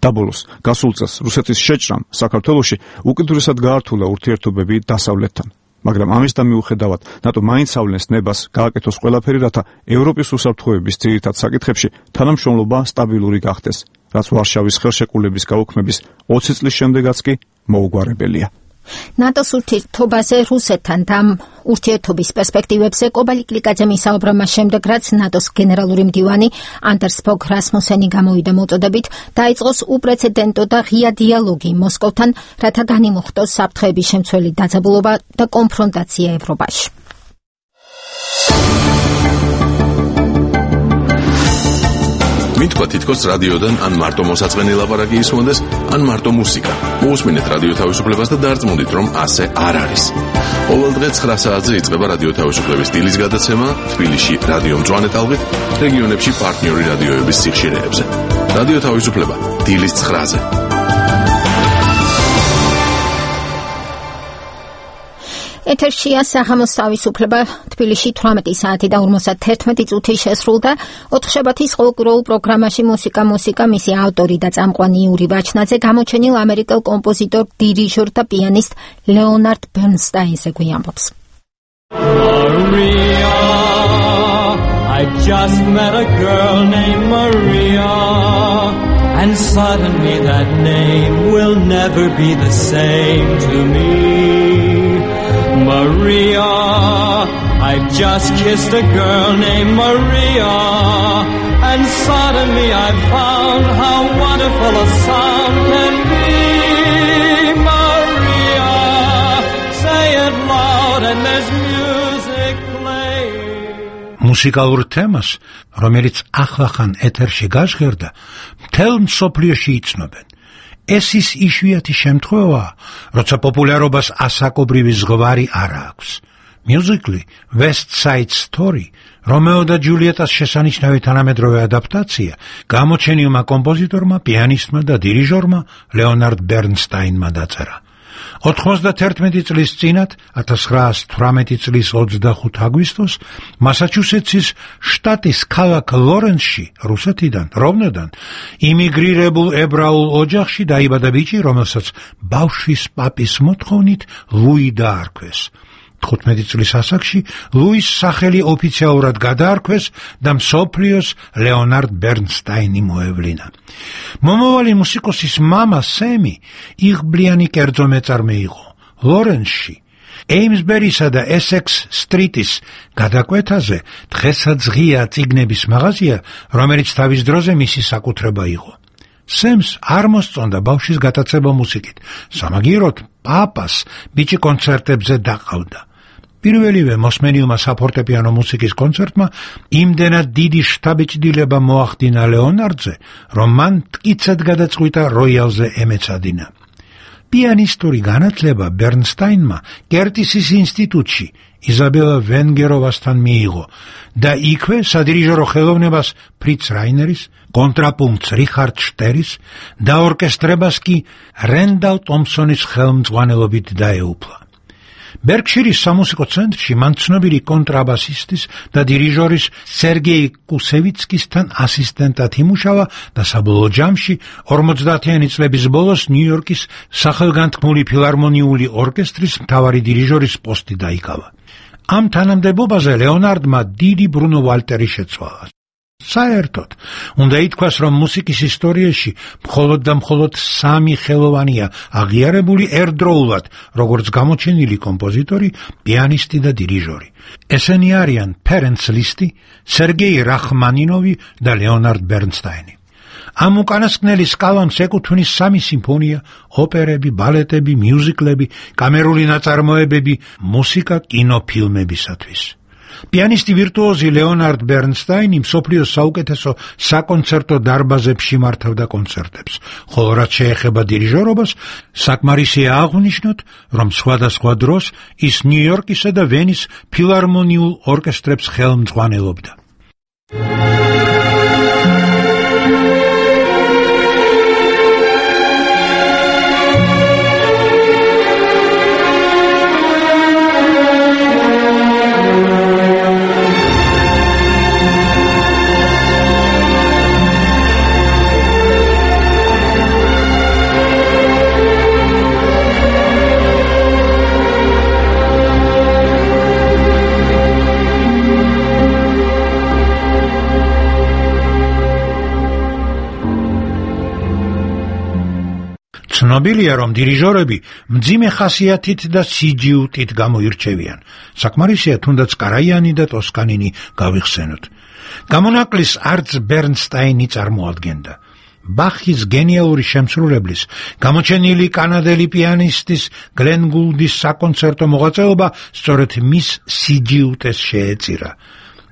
დაბოლოს, გასულ წელს რუსეთის შეჭრამ საქართველოში უკიდურესად გაართულა ურთიერთობები დასავლეთთან. მაგრამ ამისთან მიუხედავად, ნატო მაინც ავლენს ნებას გააკეთოს ყველაფერი, რათა ევროპის უსაფრთხოების ძირითად საკითხებში თანამშრომლობა სტაბილური გახდეს, რაც ვარშავის ხელშეკრულების გაუქმების 20 წლის შემდეგაც კი მოუგვარებელია. ნატოს ურთიერთობაზე რუსეთთან და ურთიერთობის პერსპექტივებზე კობალი კლიკაძემ ისაუბრა მას შემდეგ, რაც ნატოს გენერალური მდივანი ანდერს ფოგ რასმუსენი გამოვიდა მოწოდებით, დაიწყოს უპრეცედენტო და ღია დიალოგი მოსკოვთან, რათა განიმუხტოს საფრთხეების შემცველი დაძაბულობა და კონფრონტაცია ევროპაში. მითქვა თითქოს რადიოდან ან მარტო მოსაწყენი ლაპარაკი ისმოდეს, ან მარტო მუსიკა. მოусმინეთ რადიო თავისუფლებას და დარწმუნდით, რომ ასე არ არის. ყოველდღე 9 საათზე იწყება რადიო თავისუფლების დილის გადაცემა თბილისში რადიო მწვანე ტალღით, რეგიონებში პარტნიორი რადიოების სიხშირეებზე. რადიო თავისუფლება დილის 9-ზე. ეთერშია საღამოს თავისუფლება, თბილისში 18 საათი და 51 წუთი შესრულდა. ოთხშაბათის ყოველკვირეულ პროგრამაში მუსიკა, მისი ავტორი და წამყვანი იური ვაჩნაძე გამოჩენილ ამერიკელ კომპოზიტორ, დირიჟორ და პიანისტ ლეონარდ ბერნსტაინზე გვიამბობს. Maria, I just met a girl named Maria, and suddenly that name will never be the same to me. Maria, I've just kissed a girl named Maria, and suddenly I found how wonderful a sound can be. Maria, say it loud and there's music playing. მუსიკალურ თემას, რომელიც ახლახან ეთერში გაჟღერდა, მთელ მსოფლიოში იცნობენ. ეს ის იშვიათი შემთხვევაა, როცა პოპულარობას ასაკობრივი ზღვარი არ აქვს. მიუზიკლი West Side Story, რომეო და ჯულიეტას შესანიშნავი თანამედროვე ადაპტაცია, გამოჩენილმა კომპოზიტორმა, პიანისტმა და დირიჟორმა ლეონარდ ბერნსტაინმა დაწერა. 91 წლის წინათ, 1918 წლის 25 აგვისტოს, მასაჩუსეტსის შტატის ქალაქ ლორენსში, რუსეთიდან, რომნოდან, იმიგრირებულ ებრაულ ოჯახში დაიბადა ბიჭი, რომელსაც ბავშვის პაპის მოთხოვნით ლუი დაარქვეს. 15 წლის ასაკში ლუის სახელი ოფიციალურად გადაარქვეს და მსოფლიოს ლეონარდ ბერნსტაინი მოევლინა. მომავალი მუსიკოსის მამა სემი იღბლიანი კერძო მეწარმე იყო. ლორენსში, ეიმსბერისა და ესექს სტრიტის გადაკვეთაზე დღესაც ღია წიგნების მაღაზია, რომელიც თავის დროზე მისი საკუთრება იყო. სემს არ მოსწონდა ბავშვის გატაცება მუსიკით. სამაგიეროდ პაპას ბიჭი კონცერტებზე დაყავდა. პირველივე მოსმენილმა საფორტეპიანო მუსიკის კონცერტმა იმდენად დიდი შთაბეჭდილება მოახდინა ლეონარდზე, რომ მან მტკიცედ გადაწყვიტა როიალზე ემეცადინა. პიანისტური განათლება ბერნსტაინმა კერტისის ინსტიტუტში იზაბელა ვენგეროვასთან მიიღო და იქვე სადირიჟორო ხელოვნებას ფრიც რაინერის, კონტრაპუნქტს რიხარდ შტერის და ორკესტრებას კი რენდალ ტომპსონის ხელმძღვანელობით დაეუფლა. ბერკშირის სამუსიკო ცენტრში მან ცნობილი კონტრაბასისტის და დირიჟორის სერგეი კუსევიცკისთან ასისტენტად იმუშავა და საბოლოო ჯამში 50-იანი წლების ბოლოს ნიუ-იორკის სახელგანთქმული ფილარმონიული ორკესტრის მთავარი დირიჟორის პოსტი დაიკავა. ამ თანამდებობაზე ლეონარდმა დიდი ბრუნო ვალტერი შეცვალა. საერთოდ, უნდა ითქვას, რომ მუსიკის ისტორიაში მხოლოდ და მხოლოდ 3 ხელოვანია აღიარებული ერთდროულად, როგორც გამოჩენილი კომპოზიტორი, პიანისტი და დირიჟორი. ესენი არიან ფერენც ლისტი, სერგეი რახმანინოვი და ლეონარდ ბერნსტაინი. ამ უკანასკნელის კალამს ეკუთვნის 3 სიმფონია, ოპერები, ბალეტები, მიუზიკლები, კამერული ნაწარმოებები, მუსიკა კინოფილმებისათვის. პიანისტი ვირტუოზი ლეონარდ ბერნსტაინი მსოფლიოს საუკეთესო საკონცერტო დარბაზებში მართავდა კონცერტებს, ხოლო რაც შეეხება დირიჟორობას, საკმარისია აღვნიშნოთ, რომ სხვადასხვა დროს ის ნიუ-იორკისა და ვენის ფილარმონიულ ორკესტრებს ხელმძღვანელობდა. ცნობილია, რომ დირიჟორები მძიმე ხასიათით და სიჯიუტით გამოირჩევიან. საკმარისია თუნდაც კარაიანი და ტოსკანინი გავიხსენოთ. გამონაკლის არც ბერნსტაინი წარმოადგენდა. ბახის გენიალური შემსრულებლის, გამოჩენილი კანადელი პიანისტის გლენ გულდის საკონცერტო მოღვაწეობა სწორედ მის სიჯიუტეს შეეწირა.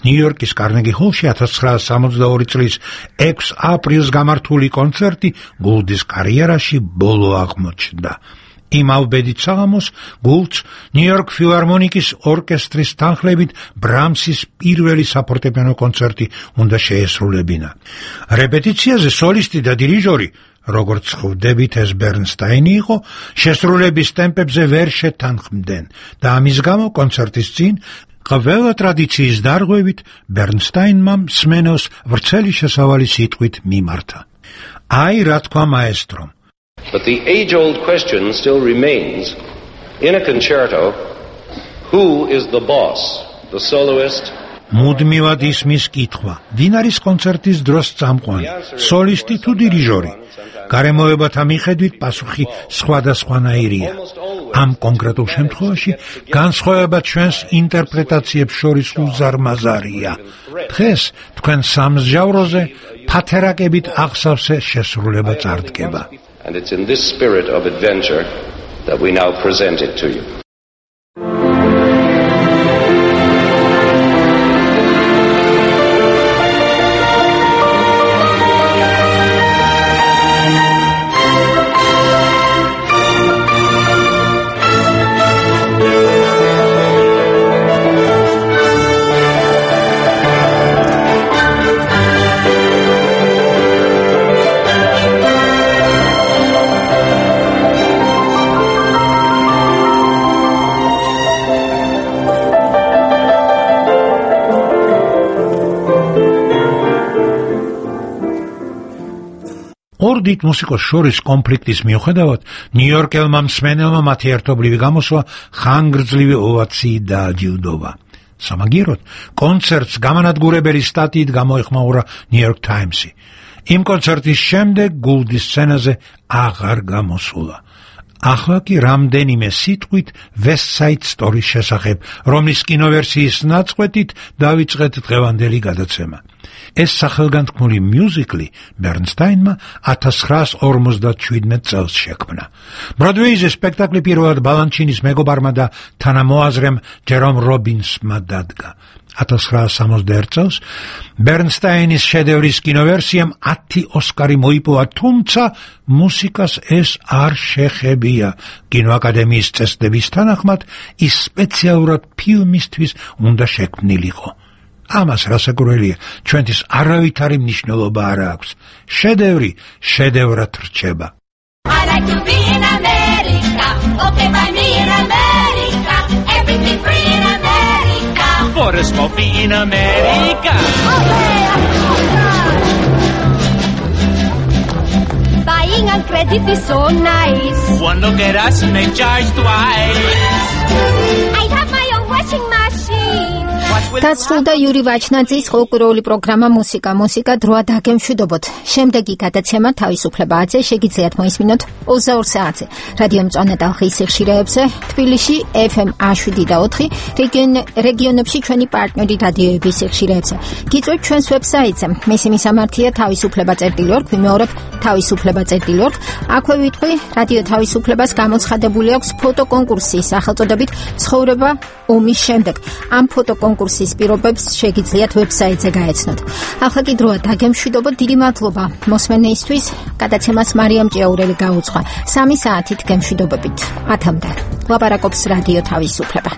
ნიუ-იორკის კარნეგი ჰოლში 1962 წლის 6 აპრილს გამართული კონცერტი გულდის კარიერაში ბოლო აღმოჩნდა. იმავ ბედით საღამოს გულდს ნიუ-იორკ ფილარმონიკის ორკესტრის თანხლებით ბრამსის პირველი საფორტეპიანო კონცერტი უნდა შეესრულებინა. რეპეტიციაზე სოლისტი და დირიჟორი, როგორც ხვდებით, ეს ბერნსტაინი იყო, შესრულების ტემპებზე ვერ შეთანხმდნენ და ამის გამო კონცერტის წინ ყველა ტრადიციის დარღვევით ბერნსტაინმა მსმენელს ვრცელი შესავალი სიტყვით მიმართა. აი რა თქვა მაესტრომ. But the age-old question still remains in a concerto, who is the boss, the soloist? მუდმივად ისმის კითხვა, ვინ არის კონცერტის დროს წამყვანი, სოლისტი თუ დირიჟორი? გარემოებათა მიხედვით პასუხი სხვადასხვანაირია. ამ კონკრეტულ შემთხვევაში განსხვავება ჩვენს ინტერპრეტაციებს შორის უზარმაზარია. დღეს თქვენ სამსჯავროზე ფათერაკებით აღსავსე შესრულება წარდგება. And it's in this spirit of adventure that we now present it to you. ორ დიდ მუსიკოს შორის კონფლიქტის მიუხედავად, ნიუ-იორკელმა მსმენელმა მათი ერთობლივი გამოსვლა ხანგრძლივი ოვაციით დააჯილდოვა. სამაგიეროდ, კონცერტს გამანადგურებელი სტატიით გამოეხმაურა ნიუ-იორკ ტაიმსი. იმ კონცერტის შემდეგ გულდის სცენაზე აღარ გამოსულა. ახლა კი რამდენიმე სიტყვით West Side Story-ის შესახებ, რომლის კინოვერსიის ნაწყვეტით დავიწყეთ დღევანდელი გადაცემა. ეს სახელგანთქმული მიუზიკლი ბერნსტაინმა 1957 წელს შექმნა. ბროდვეიზე სპექტაკლი პირველად ბალანჩინის მეგობარმა და თანამოაზრემ ჯერომ რობინსმა დადგა. 1961 წელს ბერნსტაინის შედევრის კინოვერსიამ 10 ოსკარი მოიპოვა, თუმცა მუსიკას ეს არ შეხებია. კინოაკადემიის წესდების თანახმად ის სპეციალურად ფილმისთვის უნდა შექმნილიყო. ამას რასაკვირველია, ჩვენთვის არავითარი მნიშვნელობა არ აქვს. შედევრი შედევრად რჩება. I like to be in America, okay by me in America, everything free in America. For a smoke be in America. Buying on credit is so nice. One look at us and they charge twice. I have my own washing machine. დასრულდა იური ვაჩნაძის ხალხური პროგრამა მუსიკა დროა დაგემშვიდობოთ. შემდეგი გადაცემა თავისუფლებაზე შეგიძლიათ მოისმინოთ 22 საათზე რადიო მწვანე ტალღის სიხშირეებზე, თბილისში FM 107.4, რეგიონებში ჩვენი პარტნიორი რადიოების სიხშირეებზე. გიწვევთ ჩვენს ვებსაიტზე. მისი მისამართია თავისუფლება.org, ვიმეორებ თავისუფლება.org. აქვე ვიტყვი, რადიო თავისუფლებას გამოცხადებული აქვს ფოტოკონკურსი სახელწოდებით ცხოვრება ომის შემდეგ. ამ ფოტოკონკურსის პირობებს შეგიძლიათ ვებსაიტზე გაეცნოთ. ახლა კი დროა დაგემშვიდობოთ. დიდი მადლობა მოსმენეისთვის. გადაცემას მარიამ ჭიაურელი გაუძღვა. 3 საათით გემშვიდობებით. 10-მდე. ლაპარაკობს რადიო თავისუფლება.